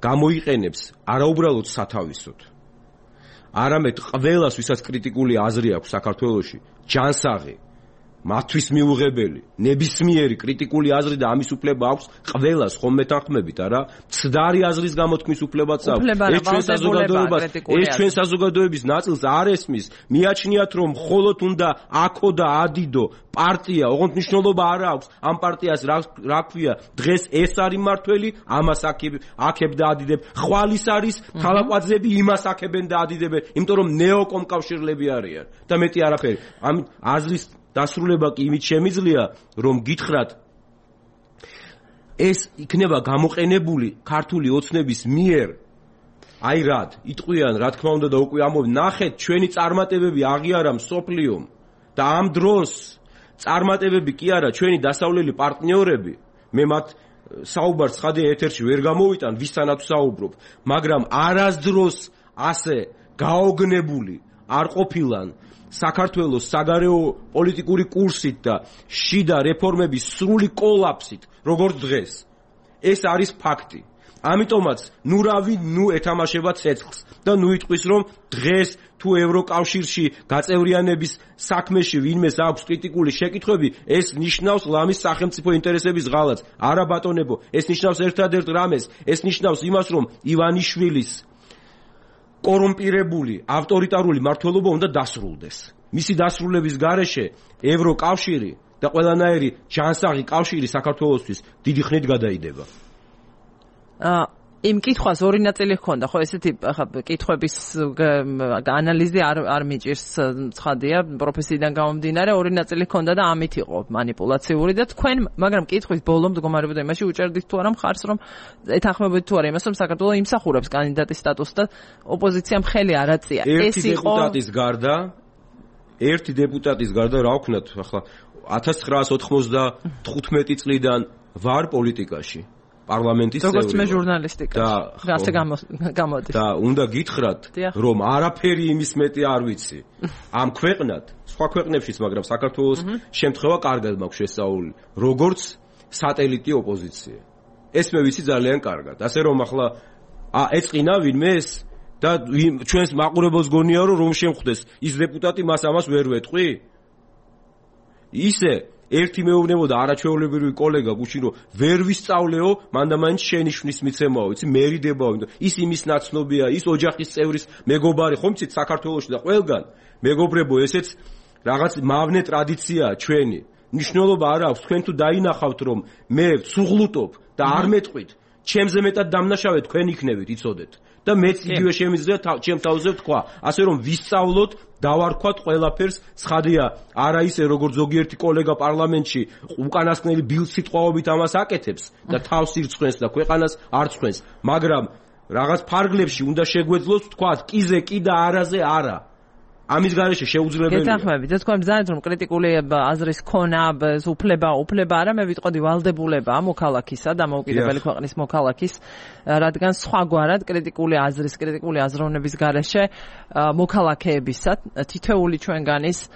C: გამოიყენებს არაუბრალოდ სათავისოდ, არამედ ყველას, ვისაც კრიტიკული აზრი აქვს საქართველოში, ჯანსაღი, მათთვის მიუღებელი, ნებისმიერი კრიტიკული აზრი და ამის უფლება აქვს ყველას, ხომ მეთანხმებით, არა? მცდარი აზრის გამოთქმის უფლებაც აქვს. ეს ჩვენ საზოგადოების ნაწილს არ ესმის. მიაჩნიათ, რომ მხოლოდ უნდა აქო და ადიდო პარტია, ოღონდ მნიშვნელობა არ აქვს. ამ პარტიას რა ქვია? დღეს ეს არის მართველი, ამას აქებ და ადიდებ. ხვალის არის თალაკვაძეები, იმას აქებენ და ადიდებენ, იმიტომ რომ ნეოკომკავშირლები არიან და მეტი არაფერი. ამ აზრის დასრულება კი იმით შემიძლია, რომ გითხრათ ეს იქნება გამოყენებული ქართული ოცნების მიერ, აი რად, იტყვიან, რა თქმა უნდა და უკვე ამბობ, ნახეთ, ჩვენი წარმატებები აღიარა მსოფლიომ და ამ დროს წარმატებები კი არა, ჩვენი დასავლელი პარტნიორები, მე მათ საუბარს ხადე ეთერში ვერ გამოვიტან, ვისთანაც საუბრობ, მაგრამ არასდროს ასე გაოგნებული არ ყოფილან საქართველოს საგარეო პოლიტიკური კურსით და შიდა რეფორმების სრული კოლაფსით, როგორც დღეს. ეს არის ფაქტი. ამიტომაც ნუ ეთამაშება ცეცხლს და ნუ იტყვის, რომ დღეს თუ ევროკავშირში გაწევრიანების საქმეში ვინმეს აქვს კრიტიკული შეკითხვები, ეს ნიშნავს ლამის სახელმწიფო ინტერესების ღალატს. არა ბატონებო, ეს ნიშნავს ერთადერთ რამეს, ეს ნიშნავს იმას, რომ ივანიშვილის კორუმპირებული ავტორიტარული მმართველობა უნდა დასრულდეს. მისი დასრულების გარეშე ევროკავშირი და ყველანაირი ჯანსაღი კავშირი საქართველოსთვის დიდი ხნით გადაიდება.
A: იმ კითხვას ორი ნაწილი ჰქონდა, ხო, ესეთი ახლა კითხვების ანალიზი არ მიჭირს, ცხადია, პროფესიიდან გამომდინარე, ორი ნაწილი ჰქონდა და ამით იყო манипуლაციური და თქვენ, მაგრამ კითხვის ბოლო მდგომარეობდა იმაში უჭერდით თუ არა მხარს, რომ ეთანხმებოდით თუ არა იმას, რომ საქართველოს იმსახურებს კანდიდატის სტატუსს და ოპოზიციამ ხელი არ აწია.
C: ეს იყო ერთი დეპუტატის გარდა რა ვქნათ, ახლა 1995 წლიდან ვარ პოლიტიკაში. პარლამენტის წევრი.
A: როგორც მე ჟურნალისტიკაში. ასე გამოდის.
C: და უნდა გითხრათ, რომ არაფერი იმის მეტი არ ვიცი. ამ ქვეყნად, სხვა ქვეყნებშიც, მაგრამ საქართველოს შემთხვევა კარგად მაქვს შესწავლილი, როგორც სატელიტი ოპოზიცია. ეს მე ვიცი ძალიან კარგად. ასე რომ ახლა ეწყინა ვინმე ეს და ჩვენს მაყურებელს გონია რომ შემხვდეს ის დეპუტატი მას ამას ვერ ვეტყვი? ისე ერთი მეუბნებოდა არაჩვეულებრივი კოლეგა გუშინ რომ ვერ ვისწავლეო, მანდამაინც შენი შნის მიცემაო, იცი მერიდებაო, ის იმის ნაცნობია, ის ოჯახის წევრის მეგობარი, ხომ იცით საქართველოში და ყველგან მეგობრებო, ესეც რაღაც მავნე ტრადიციაა ჩვენი. მნიშვნელობა არ აქვს, თქვენ თუ დაინახავთ რომ მე ვცუღლუტობ და არ მეტყვით, ჩემზე მეტად დამნაშავე თქვენ იქნებით, იცოდეთ. და მეც იგივე შემიძლია ჩემ თავზე ვთქვა, ასე რომ ვისწავლოთ, დავარქვათ ყველაფერს, ცხადია, არა ისე როგორც ზოგიერთი კოლეგა პარლამენტში უკანასკნელი ბილსიტყვაობით ამას აკეთებს და თავს ირწყვენს და ქვეყანას არ წყვენს, მაგრამ რაღაც ფარგლებში უნდა შეგვეძლოს ვთქვათ, კიზე კი და არაზე არა. ამის გარეშე შეუძლებელია.
A: გეთანხმებით, და თქვენ ბრძანეთ რომ კრიტიკული აზრის ქონა, უფლება არა, მე ვიტყოდი ვალდებულება მოქალაქისა და მოუკიდებელი ქვეყნის მოქალაქის, რადგან სხვაგვარად კრიტიკული აზროვნების გარეშე მოქალაქეებისა თითოეული ჩვენგანის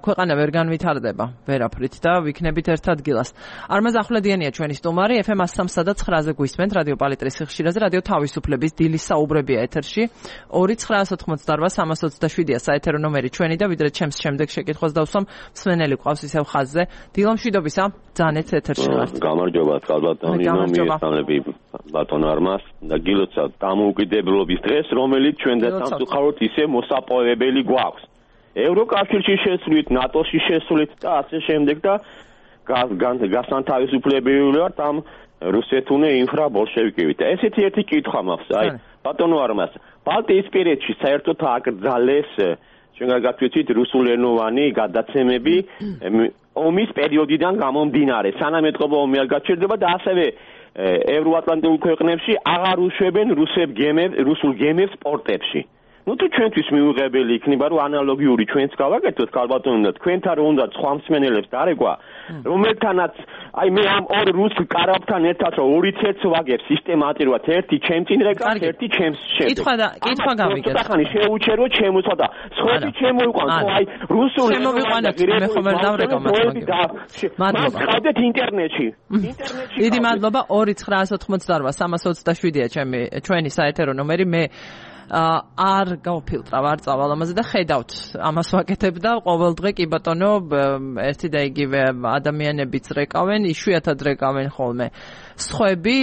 A: ქვეყანა ვერ განვითარდება ვერაფრით და ვიქნებით ერთ ადგილას. არმაზ ახვლედიანია ჩვენი სტუმარი, FM 103 და 9-ზე გვისმენთ რადიო პალიტრის ხშირაზე, რადიო თავისუფლების დილის საუბრებია ეთერში. 2-988-327-ია საეთერო ნომერი ჩვენი და ვიდრე ჩემს შემდეგ შეკითხვას დავსვამ, მსმენელი ყავს ისევ ხაზზე. დილო მშვიდობისა, ძანეთ ეთერში ვართ.
E: გამარჯობა, წყალბატონი, მიესალმები ბატონ არმას და გილოცავთ დამოუკიდებლობის დღეს, რომელიც ჩვენ და სამწუხაროდ ისე მოსაპოვებელი გვაქვს. ევროკავშირში შესვლით, ნატოში შესვლით და ასე შემდეგ და გასანთავისუფლებელი ვართ ამ რუსეთუნე ინფრაბოლშევიკებით. ესეთი ერთი კითხვა მაქვს, აი, ბატონო არმას, ბალტიისპირეთში საერთოდ აკრძალეს ჩვენ გაგაცვით რუსულენოვანი გადაცემები ომის პერიოდიდან გამომდინარე, სანამ ეთყობა ომი არ გაჩერდება და ასევე ევროატლანტიკულ ქვეყნებში აღარ უშვებენ რუსულ გემებს პორტებში. Ну თუ ჩვენთვის მიუღებელი იქნება რომ ანალოგიური ჩვენც გავაკეთოთ ქალბატონო და თქვენთან რომ უნდა სხვა მსმენელებს დარეკვა რომელთანაც აი მე ამ ორ რუს კარაბთან ერთად რომ ორი ცერც ვაგებ სისტემატურად ერთი ჩემს წინ რეკავს ერთი ჩემს შემდეგ
A: კითხვა გავიგეთ
E: ხანი შეუჩერო ჩემოსა და სხვები შემოიყვანს აი რუსული
A: შემოვიყვანეთ მე ხომ ვერ დავრეკავ
E: მადლობა ყავდეთ ინტერნეტში
A: დიდი მადლობა 2-988-327-ია ჩვენი საეთერო ნომერი მე არ გავფილტრავ არ წავალ ამაზე და ხედავთ ამას ვაკეთებ და ყოველ დღე კი ბატონო ერთი და იგივე ადამიანებიც რეკავენ იშვიათად რეკავენ ხოლმე სხვები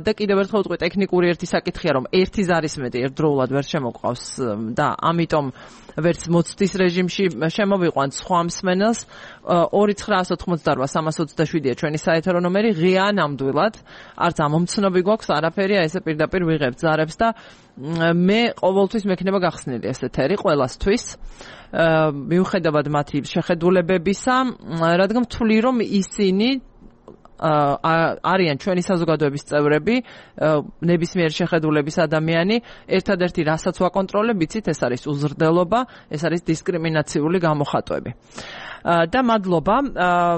A: და კიდევ ერთხელ ვიტყვი ტექნიკური ერთი საკითხია რომ ერთი ზარის მეტი ერთდროულად ვერ შემოყავს და ამიტომ ვერც მოცდის რეჟიმში შემოვიყვანთ სხვა მსმენელს 2-988-327-ია ჩვენი საეთერო ნომერი ღია ნამდვილად არც ამომცნობი გვაქვს არაფერია ესე პირდაპირ ვიღებთ ზარებს და მე ყოველთვის მექნება გახსნილი ეს ეთერი ყველასთვის მიუხედავად მათი შეხედულებებისა რადგან ვთვლი რომ ისინი არიან ჩვენი საზოგადოების წევრები ნებისმიერ შეხედულების ადამიანი ერთადერთი რასაც ვაკონტროლებ იცით ეს არის უზრდელობა ეს არის დისკრიმინაციული გამოხატვები და მადლობა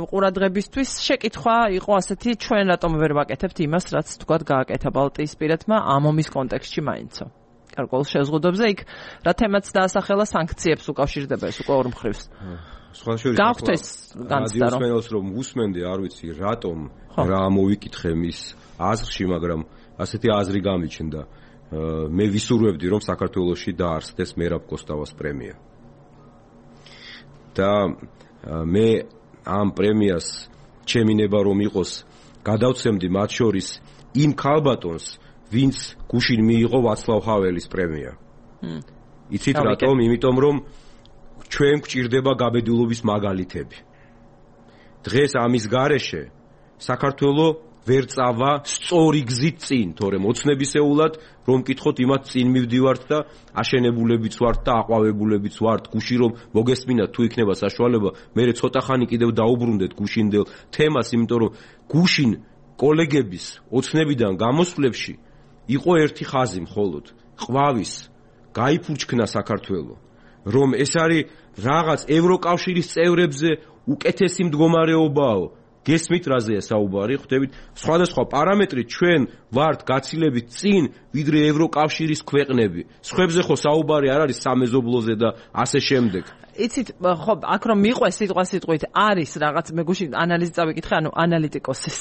A: ყურადღებისთვის შეკითხვა იყო ასეთი ჩვენ რატომ ვერ ვაკეთებთ იმას რაც თქვათ გააკეთა ბალტიისპირეთმა ამ ომის კონტექსტში მაინცო გარკვეულ შეზღუდვებზე იქ რა თემაც დაასახელა სანქციებს უკავშირდება ეს უკვე ორ მხრივს გავხდეს განცდა
C: რომ უსმენდი არ ვიცი რატომ რა მოვიკითხე მის აზრში მაგრამ ასეთი აზრი გამიჩნდა მე ვისურვებდი რომ საქართველოში დაარსდეს მერაბ კოსტავას პრემია და მე ამ პრემიას ჩემინება რომ იყოს გადავცემდი მათ შორის იმ ქალბატონს ვინც გუშინ მიიღო ვაცლავ ჰაველის პრემია იცით რატომ იმიტომ რომ ჩვენ გვჭირდება გაბედულობის მაგალითები. დღეს ამის გარეშე საქართველოს ვერ წავა სწორი გზით წინ, თორემ ოცნებისეულად რომ მკითხოთ იმათ წინ მივდივართ და აშენებულებიც ვართ და აყვავებულებიც ვართ, გუში რომ მოგესმინათ თუ იქნება საშუალება, მე ცოტა ხანი კიდევ დაუბრუნდეთ გუშინდელ თემას, იმიტომ რომ გუშინ კოლეგების ოცნებიდან გამოსვლებში იყო ერთი ხაზი მხოლოდ, ყვავის გაიფურჩქნა საქართველო, რომ ეს არის რაღაც ევროკავშირის წევრებზე უკეთესი მდგომარეობაო. გესმით რაზეა საუბარი, ხვდებით, სხვადასხვა პარამეტრით ჩვენ ვართ გაცილებით წინ, ვიდრე ევროკავშირის ქვეყნები. სხვებზე ხო საუბარი არ არის სამეზობლოზე და ასე შემდეგ.
A: იცით, ხო, აქ რომ მიყვეს სიტყვით არის რაღაც, მე გუშინ ანალიზი წავიკითხე, ანუ ანალიტიკოსის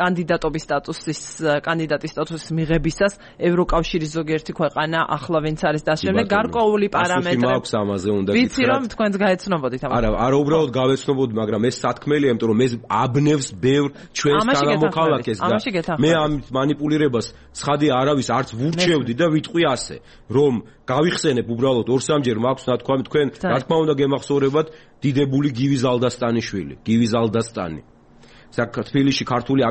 A: კანდიდატობის სტატუსის მიღებისას ევროკავშირის ზოგიერთი ქვეყანა ახლა ვინც არის დასჯენილი გარკვეული პარამეტრები. ვიცი რომ თქვენც გაეცნობოდით ამას.
C: არა, უბრალოდ გავეცნობოდი, მაგრამ ეს სათქმელია, იმიტომ რომ ეს აბნევს ბევრ ჩვენს თანამოქალაქეს და მე ამ манипуლირებას ცხადი არავის არც ვურჩევდი და ვიტყვი ასე, რომ გავიხსენებ უბრალოდ 2-3ჯერ მაქვს ნათქვამი თქვენ, რა თქმა უნდა გემახსოვრებათ დიდებული გივი ზალდასტანიშვილი, გივი ზალდასტანი. თბილისში ქართული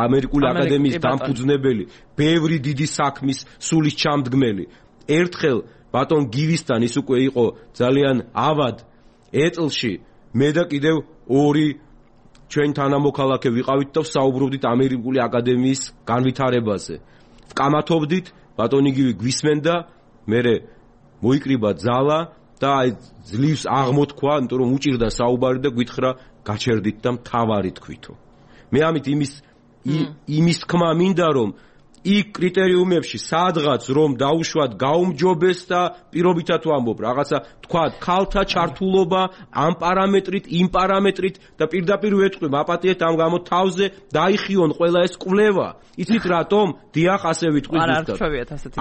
C: ამერიკული აკადემიის დამფუძნებელი, ბევრი დიდი საქმის სულის ჩამდგმელი. ერთხელ ბატონ გივისთან ის უკვე იყო ძალიან ავად ეტლში, მე და კიდევ 2 ჩვენ თანამოქალაქე ვიყავით და საუბრობდით ამერიკული აკადემიის განვითარებაზე. ვკამათობდით, ბატონი გივი გვისმენდა, მერე მოიკრიბა ძალა და აი ძლივს აღმოთქვა, იმიტომ რომ უჭირდა საუბარი და გვითხრა გაჩერდით და მთავარი თქვითო. მე ამით იმის თქმა მინდა რომ იქ კრიტერიუმებში სადღაც რომ დაუშვათ გაუმჯობეს და პირობითად ვამბობ რაღაცა თქვა ქალთა ჩართულობა ამ პარამეტრით, იმ პარამეტრით და პირდაპირ ვეთქვი მაპატიეთ ამ გამო თავზე დაიხიონ ყველა ეს კვლევა. იცით რატომ? დიახ, ასე ვიტყვი ზუსტად.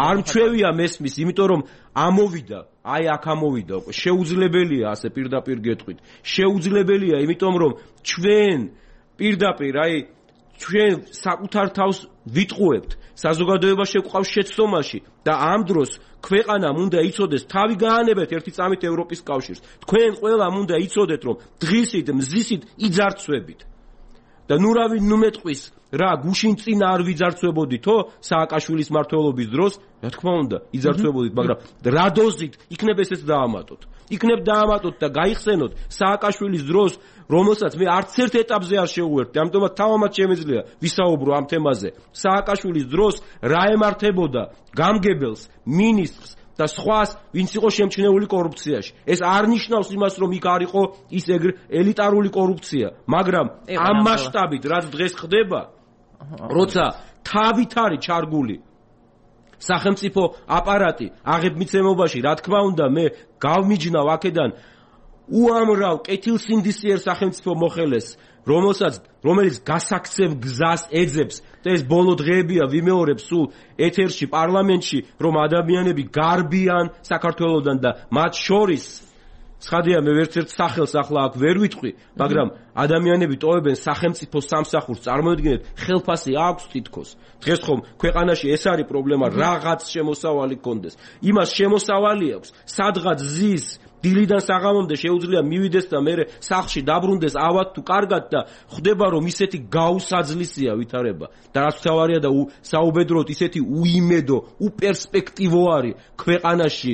C: არ მჩვევია მესმის, იმიტომ რომ ამოვიდა, აი აქ ამოვიდა უკვე. შეუძლებელია ასე პირდაპირ გეტყვით. შეუძლებელია, იმიტომ რომ ჩვენ პირდაპირ აი ჩვენ საკუთარ თავს ვიტყუებთ, საზოგადოება შეგვყავს შეცდომაში და ამ დროს ქვეყანამ უნდა იცოდეს, თავი გაანებეთ ერთი წამით ევროპის კავშირს. თქვენ ყველამ უნდა იცოდეთ, რომ დღისით, მზისით იძარცვებით. და ნუ მეტყვის რა გუშინ წინ არ ვიძარცვებოდითო სააკაშვილის მმართველობის დროს, რა თქმა უნდა, იძარცვებოდით, მაგრამ რა დოზით იქნებ ესეც დაამატოთ. იქნებ დაამატოთ და გაიხსენოთ სააკაშვილის დროს, რომელსაც მე არც ერთ ეტაპზე არ შევუერთდი, ამიტომაც თავამაც შემეძლია ვისაუბრო ამ თემაზე. სააკაშვილის დროს რა ემართებოდა გამგებელს, მინისტრს და სხვას, ვინც იყო შემჩნეული კორუფციაში. ეს არ ნიშნავს იმას, რომ იქ არ იყო ის ელიტარული კორუფცია, მაგრამ ამ მასშტაბით, რაც დღეს ხდება, როცა თავით არის ჩარგული სახელმწიფო აპარატი აღებმიცემობაში, რა თქმა უნდა, მე გავმიჯნავ აქედან უამრავ კეთილსინდისიერ სახელმწიფო მოხელეს, რომელიც გასაქცევ გზას ეძებს და ეს ბოლო დღეებია ვიმეორებ სულ ეთერში, პარლამენტში, რომ ადამიანები გარბიან საქართველოდან და მათ შორის ცხადია მე ერთ სახელს ახლა აქ ვერ ვიტყვი, მაგრამ ადამიანები ტოვებენ სახელმწიფო სამსახურს, წარმოიდგინეთ, ხელფასი აქვს თითქოს. დღეს ხომ ქვეყანაში ეს არის პრობლემა, რაღაც შემოსავალი გქონდეს. იმას შემოსავალი აქვს, სადღაც ზის დილიდან საღამომდე შეუძლია მივიდეს და მე სახლში დაბრუნდეს ავად თუ კარგად და ხვდება რომ ისეთი გაუსაძლისია ვითარება და რაც თავარია და საუბედროდ ისეთი უიმედო, უპერსპექტივო არის ქვეყანაში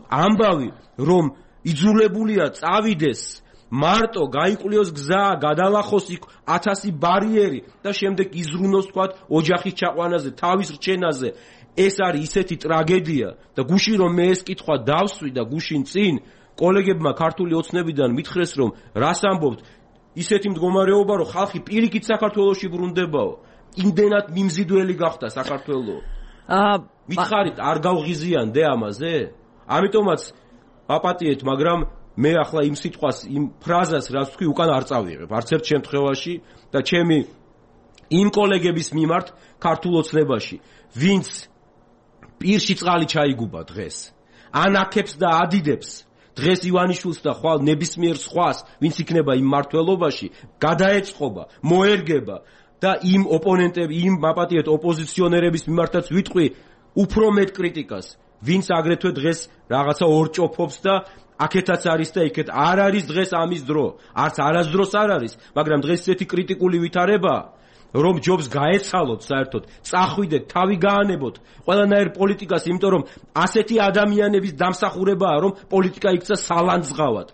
C: ამბავი რომ იძულებულია წავიდეს მარტო გაიკვლიოს გზა, გადალახოს იქ 1000 ბარიერი და შემდეგ იზრუნოს თქვათ ოჯახის ჩაყვანაზე, თავის რჩენაზე. ეს არის ისეთი ტრაგედია და გუშინ რომ მე ეს კითხვა დავსვი და გუშინ წინ კოლეგებმა ქართული ოცნებიდან მითხრეს რომ რას ამბობთ, ისეთი მდგომარეობა რომ ხალხი პირიქით საქართველოში ბრუნდებაო. იმდენად მიმზიდველი გახდა საქართველო. მითხარით არ გავღიზიანდე ამაზე? ამიტომაც ვაპატიეთ, მაგრამ მე ახლა იმ სიტყვას, იმ ფრაზას რაც თქვი უკან არ წავიღებ არც ერთ შემთხვევაში და ჩემი იმ კოლეგების მიმართ ქართულ ოცნებაში, ვინც პირში წყალი ჩაიგუბა დღეს, ანაქებს და ადიდებს დღეს ივანიშვილს და ხვალ ნებისმიერ სხვას, ვინც იქნება იმ მმართველობაში, გადაეწყობა, მოერგება და იმ ოპონენტები, იმ მაპატიეთ ოპოზიციონერების მიმართაც ვიტყვი უფრო მეტ კრიტიკას. ვინც აგრეთვე დღეს რაღაცა ორჭოფობს და აქეთაც არის და იქეთ არ არის დღეს ამის დრო. არც არასდროს არ არის, მაგრამ დღეს ესეთი კრიტიკული ვითარებაა, რომ ჯობს გაეცალოთ საერთოდ, წახვიდეთ, თავი გაანებოთ ყველანაირ პოლიტიკას, იმიტომ რომ ასეთი ადამიანების დამსახურებაა, რომ პოლიტიკა იქცა სალანძღავად.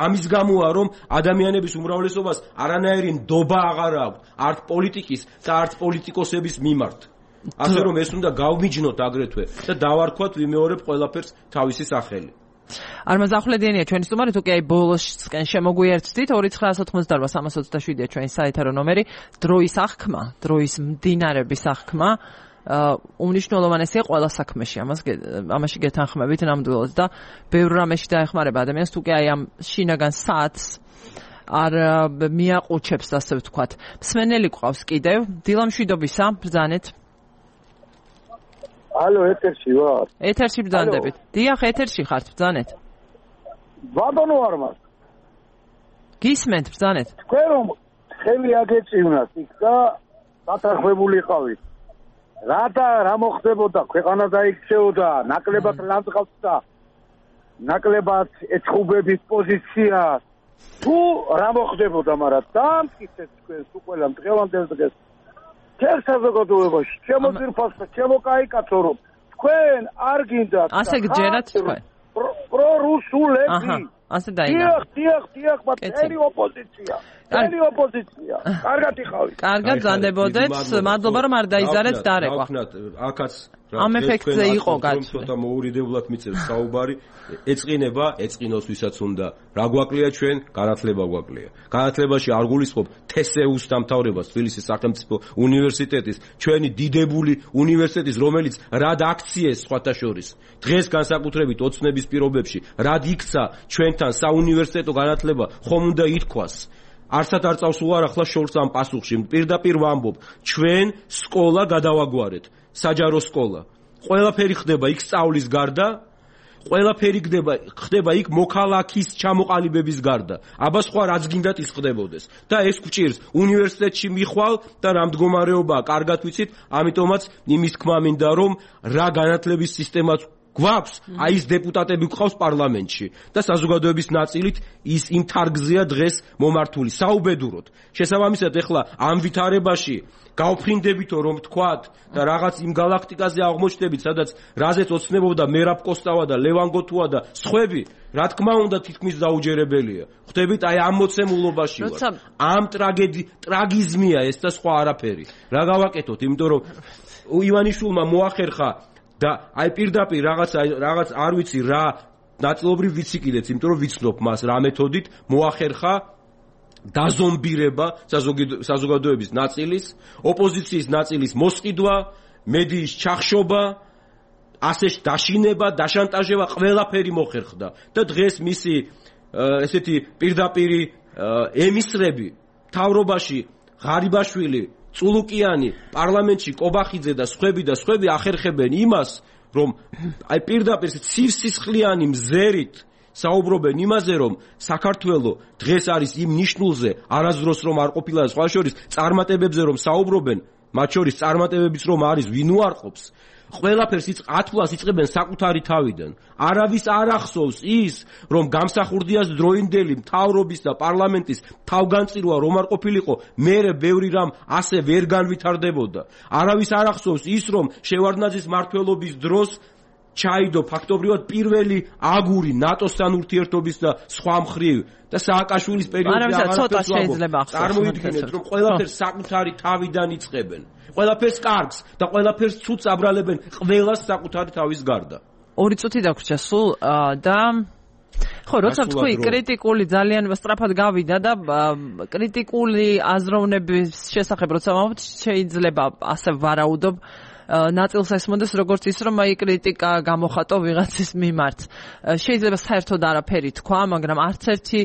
C: ამის გამოა, რომ ადამიანების უმრავლესობას არანაირი ნდობა აღარ აქვს, არც პოლიტიკის და არც პოლიტიკოსების მიმართ. ასე რომ ეს უნდა გავმიჯნოთ აგრეთვე და დავარქვათ ვიმეორებ ყველაფერს თავისი სახელი.
A: Armaz Ahledenia ჩვენი სტუმარი თუ კი აი ბოლოსკენ შემოგვიერთდით 2988-327-ია ჩვენი საეთერო ნომერი დროის აღქმა, დროის მდინარების აღქმა უმნიშვნელოვანესია ყველა საქმეში ამაში გეთანხმებით ნამდვილად და ბევრ რამეში დაეხმარება ადამიანს თუ კი აი ამ შინაგან საათს არ მიაყუჩებს ასე ვთქვათ. მსმენელი გვყავს კიდევ დილამშვიდობისა ბრძანეთ.
F: Алло, ეთერში ვარ.
A: ეთერში ბრძანდებით. დიახ, ეთერში ხართ, ბრძანეთ.
F: ბატონო არმას.
A: გისმენთ, ბრძანეთ.
F: თქვენ რომ ხელი აგეწივნათ იქ და დათანხმებულიყავით. რა მოხდებოდა, ქვეყანა დაიქცეოდა, ნაკლებად ლანძღავდა, ნაკლებად ეწყუბების პოზიცია. თუ რა მოხდებოდა, მაგრამ დაამტკიცეთ თქვენ ყველა დღევანდელ დღეს. Ჩემ საზოგადოებაში, ჩემო ძირფასო, ჩემო კაიკაცო რომ თქვენ არ გინდათ
A: ასე გჯერათ თქვენ
F: პრორუსულები
A: ასე დაინა
F: დიახ მათი ოპოზიცია კარგად იყავით
A: კარგად ზანდებოდეთ მადლობა რომ არ დაიზარეთ დარეკვა
C: აქაც
A: ამ ეფექტზე იყო
C: გაცნობა ცოტა მოურიდებლად მიწევს საუბარი ეწყინოს ვისაც უნდა რა გვაკლია ჩვენ განათლება გვაკლია განათლებაში არ გულისხმობ თესეუს დამთავრებას თბილისის სახელმწიფო უნივერსიტეტის ჩვენი დიდებული უნივერსიტეტის რომელიც რად აქციეს სხვათა შორის დღეს განსაკუთრებით ოცნების პირობებში რად იქცა ჩვენთან საუნივერსიტეტო განათლება ხომ უნდა ითქვას არცად არ წავს უარ ახლა შორს ამ პასუხში პირდაპირ ვამბობ ჩვენ სკოლა გადავაგვარეთ საჯარო სკოლა ყველაფერი ხდება იქ სწავლის გარდა ყველაფერი ხდება იქ მოქალაქის ჩამოყალიბების გარდა აბა სხვა რაც გინდათ ის ხდებოდეს და ეს გვჭირს უნივერსიტეტში მიხვალ და რა მდგომარეობაა კარგად ვიცით ამიტომაც იმის თქმა მინდა რომ რა განათლების სისტემაც გვაქვს აი ეს დეპუტატები გვყავს პარლამენტში და საზოგადოების ნაწილით ის იმ თარგზეა დღეს მომართული საუბედუროდ შესაბამისად ეხლა ამ ვითარებაში გავფრინდებითო რომ თქვათ და რაღაც იმ galaktikაზე აღმოჩნდებით სადაც რაზეც ოცნებობდა მერაბ კოსტავა და ლევან გოთუა და სხვები რა თქმა უნდა თითქმის დაუჯერებელია ხვდებით აი ამ მოცემულობაში ვარ ამ ტრაგიზმია ეს და სხვა არაფერი რა გავაკეთოთ იმიტომ რომ ივანიშვილმა მოახერხა და აი პირდაპირ რაღაც არ ვიცი რა ნაწილობრივ ვიცი კიდეც იმიტომ რომ ვიცნობ მას რა მეთოდით მოახერხა დაზომბირება საზოგადოების ნაწილის ოპოზიციის ნაწილის მოსყიდვა მედიის ჩახშობა ასე დაშინება დაშანტაჟება ყველაფერი მოხერხდა და დღეს მისი ესეთი პირდაპირი ემისრები მთავრობაში ღარიბაშვილი წულუკიანი პარლამენტში კობახიძე და სხვები ახერხებენ იმას რომ აი პირდაპირ ცივსისხლიანი მზერით საუბრობენ იმაზე რომ საქართველო დღეს არის იმ ნიშნულზე არასდროს რომ არ ყოფილა სხვა შორის წარმატებებზე რომ საუბრობენ მათ შორის წარმატებებიც რომ არის ვინ უარყოფს ყველაფერს ათვლას იწყებენ საკუთარი თავიდან არავის არ ახსოვს ის რომ გამსახურდიას დროინდელი მთავრობის და პარლამენტის თავგანწირვა რომ არ ყოფილიყო მერე ბევრი რამ ასე ვერ განვითარდებოდა არავის არ ახსოვს ის რომ შევარდნაძის მმართველობის დროს ჩაიდო ფაქტობრივად პირველი აგური ნატოსთან ურთიერთობის და სხვა მხრივ და სააკაშვილის პერიოდში
A: აღარ შეიძლება
C: წარმოიდგინეთ რომ ყველაფერს საკუთარი თავიდან იწყებენ ყველაფერს კარგს და ყველაფერს ცუდს აბრალებენ ყველას საკუთარი თავის გარდა
A: ორი წუთი დაგვრჩა სულ და ხო როცა თქვი კრიტიკული ძალიან სწრაფად გავიდა და კრიტიკული აზროვნების შესახებ როცა ვამბობთ შეიძლება ასე ვარაუდობ ნაწილს ესმოდეს როგორც ის რომ აი კრიტიკა გამოხატო ვიღაცის მიმართ შეიძლება საერთოდ არაფერი თქვა მაგრამ არც ერთი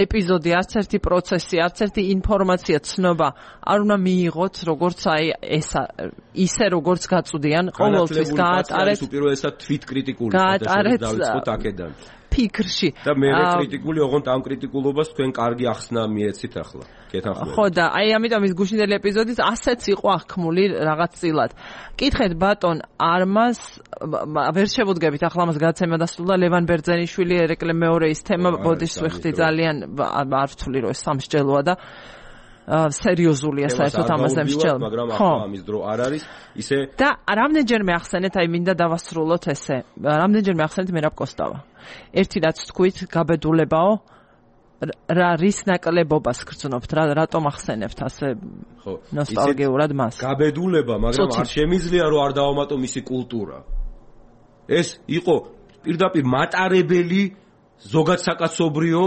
A: ეპიზოდი არც ერთი პროცესი არც ერთი ინფორმაცია ცნობა არ უნდა მიიღოთ როგორც აი ისე როგორც გაწვდიან ყოველთვის გაატარეთ
C: უპირველესად თვითკრიტიკული გადაწყვეტა დაიწყოთ აქედან
A: ფიქრში.
C: და მე კრიტიკული ოღონდ ამ კრიტიკულობას თქვენ კარგი ახსნა მიეცით ახლა. კეთახმებით.
A: ხო და აი ამიტომ ის გუშინდელი ეპიზოდიც ასეც იყო აღქმული რაღაც წილად. კითხეთ ბატონ არმას ვერ შევუდგებით ახლა მას გადაცემა დასრულდა ლევან ბერძენიშვილი ერეკლე მეორე ის თემა ბოდიშს ვიხდი ძალიან არ ვთვლი რომ სამსჯელოა და სერიოზულია საერთოდ ამაზე მსჯელო.
C: მაგრამ ახლა ამის დრო არ არის ისე
A: და რამდენჯერმე ახსენეთ აი მინდა დავასრულოთ ესე. რამდენჯერმე ახსენეთ მერაბ კოსტავა. ერთი რაც თქვით გაბედულებაო რა რის ნაკლებობას გრძნობთ რატომ ახსენებთ ასე ნოსტალგიურად მას
C: გაბედულება მაგრამ არ შემიძლია რომ არ დავამატო მისი კულტურა ეს იყო პირდაპირ მატარებელი ზოგად საკაცობრიო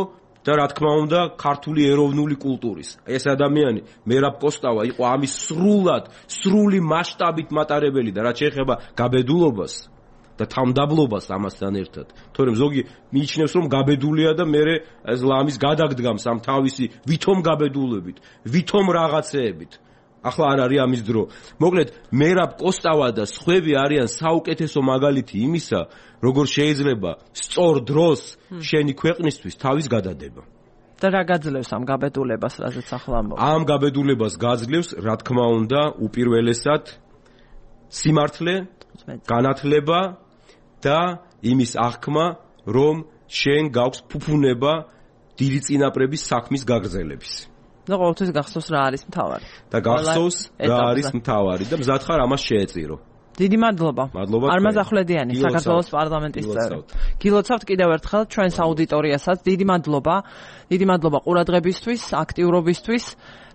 C: და რა თქმა უნდა ქართული ეროვნული კულტურის ეს ადამიანი მერაბ კოსტავა იყო ამის სრული მასშტაბით მატარებელი და რაც შეეხება გაბედულობას და თამდაბლობას ამასთან ერთად. თორემ ზოგი მიიჩნევს რომ გაბედულია და მე ეს ლამის გადაგდგამს ამ თავისი ვითომ გაბედულებით, ვითომ რაღაცეებით. ახლა არ არის ამის დრო. მოკლედ, მერაბ კოსტავა და სხვები არიან საუკეთესო მაგალითი იმისა, როგორ შეიძლება სწორ დროს შენი ქვეყნისთვის თავის გადადება.
A: და რა გაძლევს ამ გაბედულებას, რაზეც ახლა ამბობ?
C: ამ გაბედულებას გაძლევს, რა თქმა უნდა, უპირველესად სიმართლე, განათლება და იმის აღქმა, რომ შენ გაქვს ფუფუნება დიდი წინაპრების საქმის გაგრძელების.
A: და ყოველთვის გახსოვს რა არის მთავარი.
C: და გახსოვს რა არის მთავარი და მზად ხარ ამას შეეწირო.
A: დიდი მადლობა. არმაზ ახვლედიანი, საქართველოს პარლამენტის წევრი. გილოცავთ კიდევ ერთხელ ჩვენს აუდიტორიასაც. დიდი მადლობა. დიდი მადლობა ყურადღებისთვის, აქტიურობისთვის.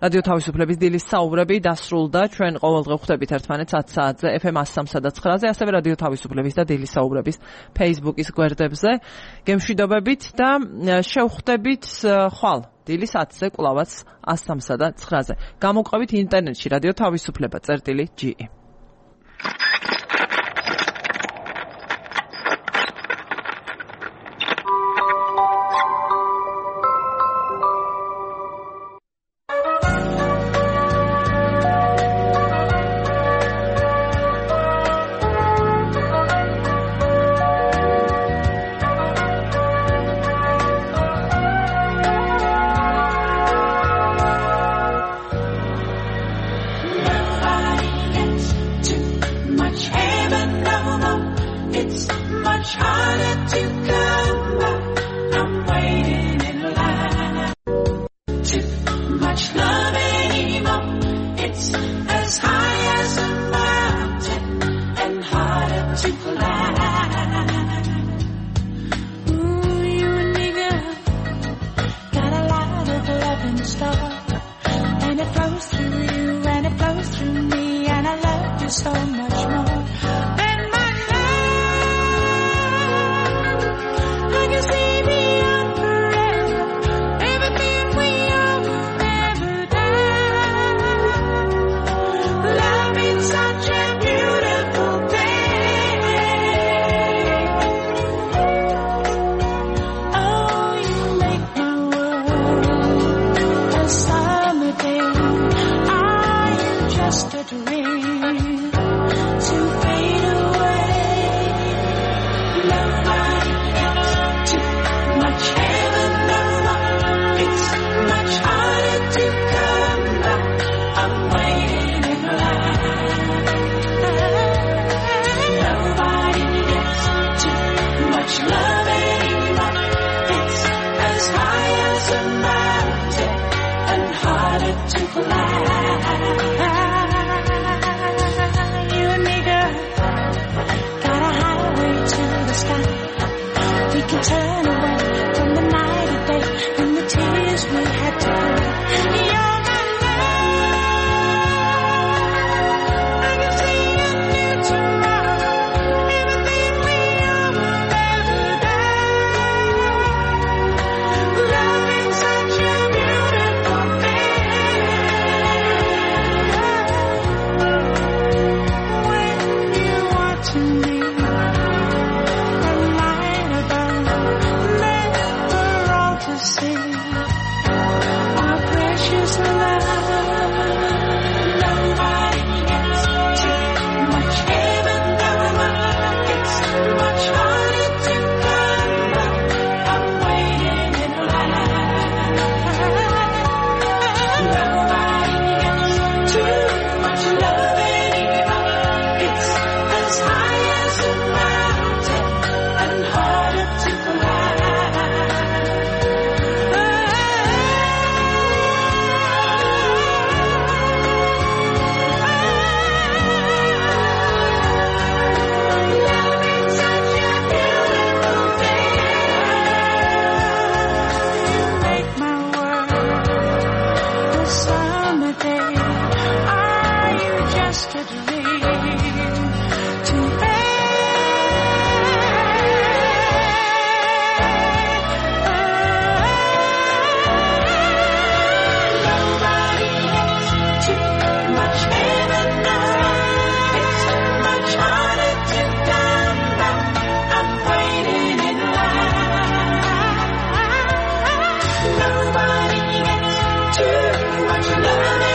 A: რადიო თავისუფლების დილის საუბრები დასრულდა. ჩვენ ყოველდღე ხვდებით ერთმანეთს 10 საათზე FM 103.9-ზე, ასევე რადიო თავისუფლების და დილის საუბრების Facebook-ის გვერდებზე. გემშვიდობებით და შევხვდებით ხვალ დილის 10-ზე კვლავაც 103.9-ზე. გამოგვყევით ინტერნეტში რადიო თავისუფლება.ge.
G: summer day. Are you just a dream to nobody gets too much heaven now. It's too much harder to come back. I'm waiting in line. Nobody gets too much love.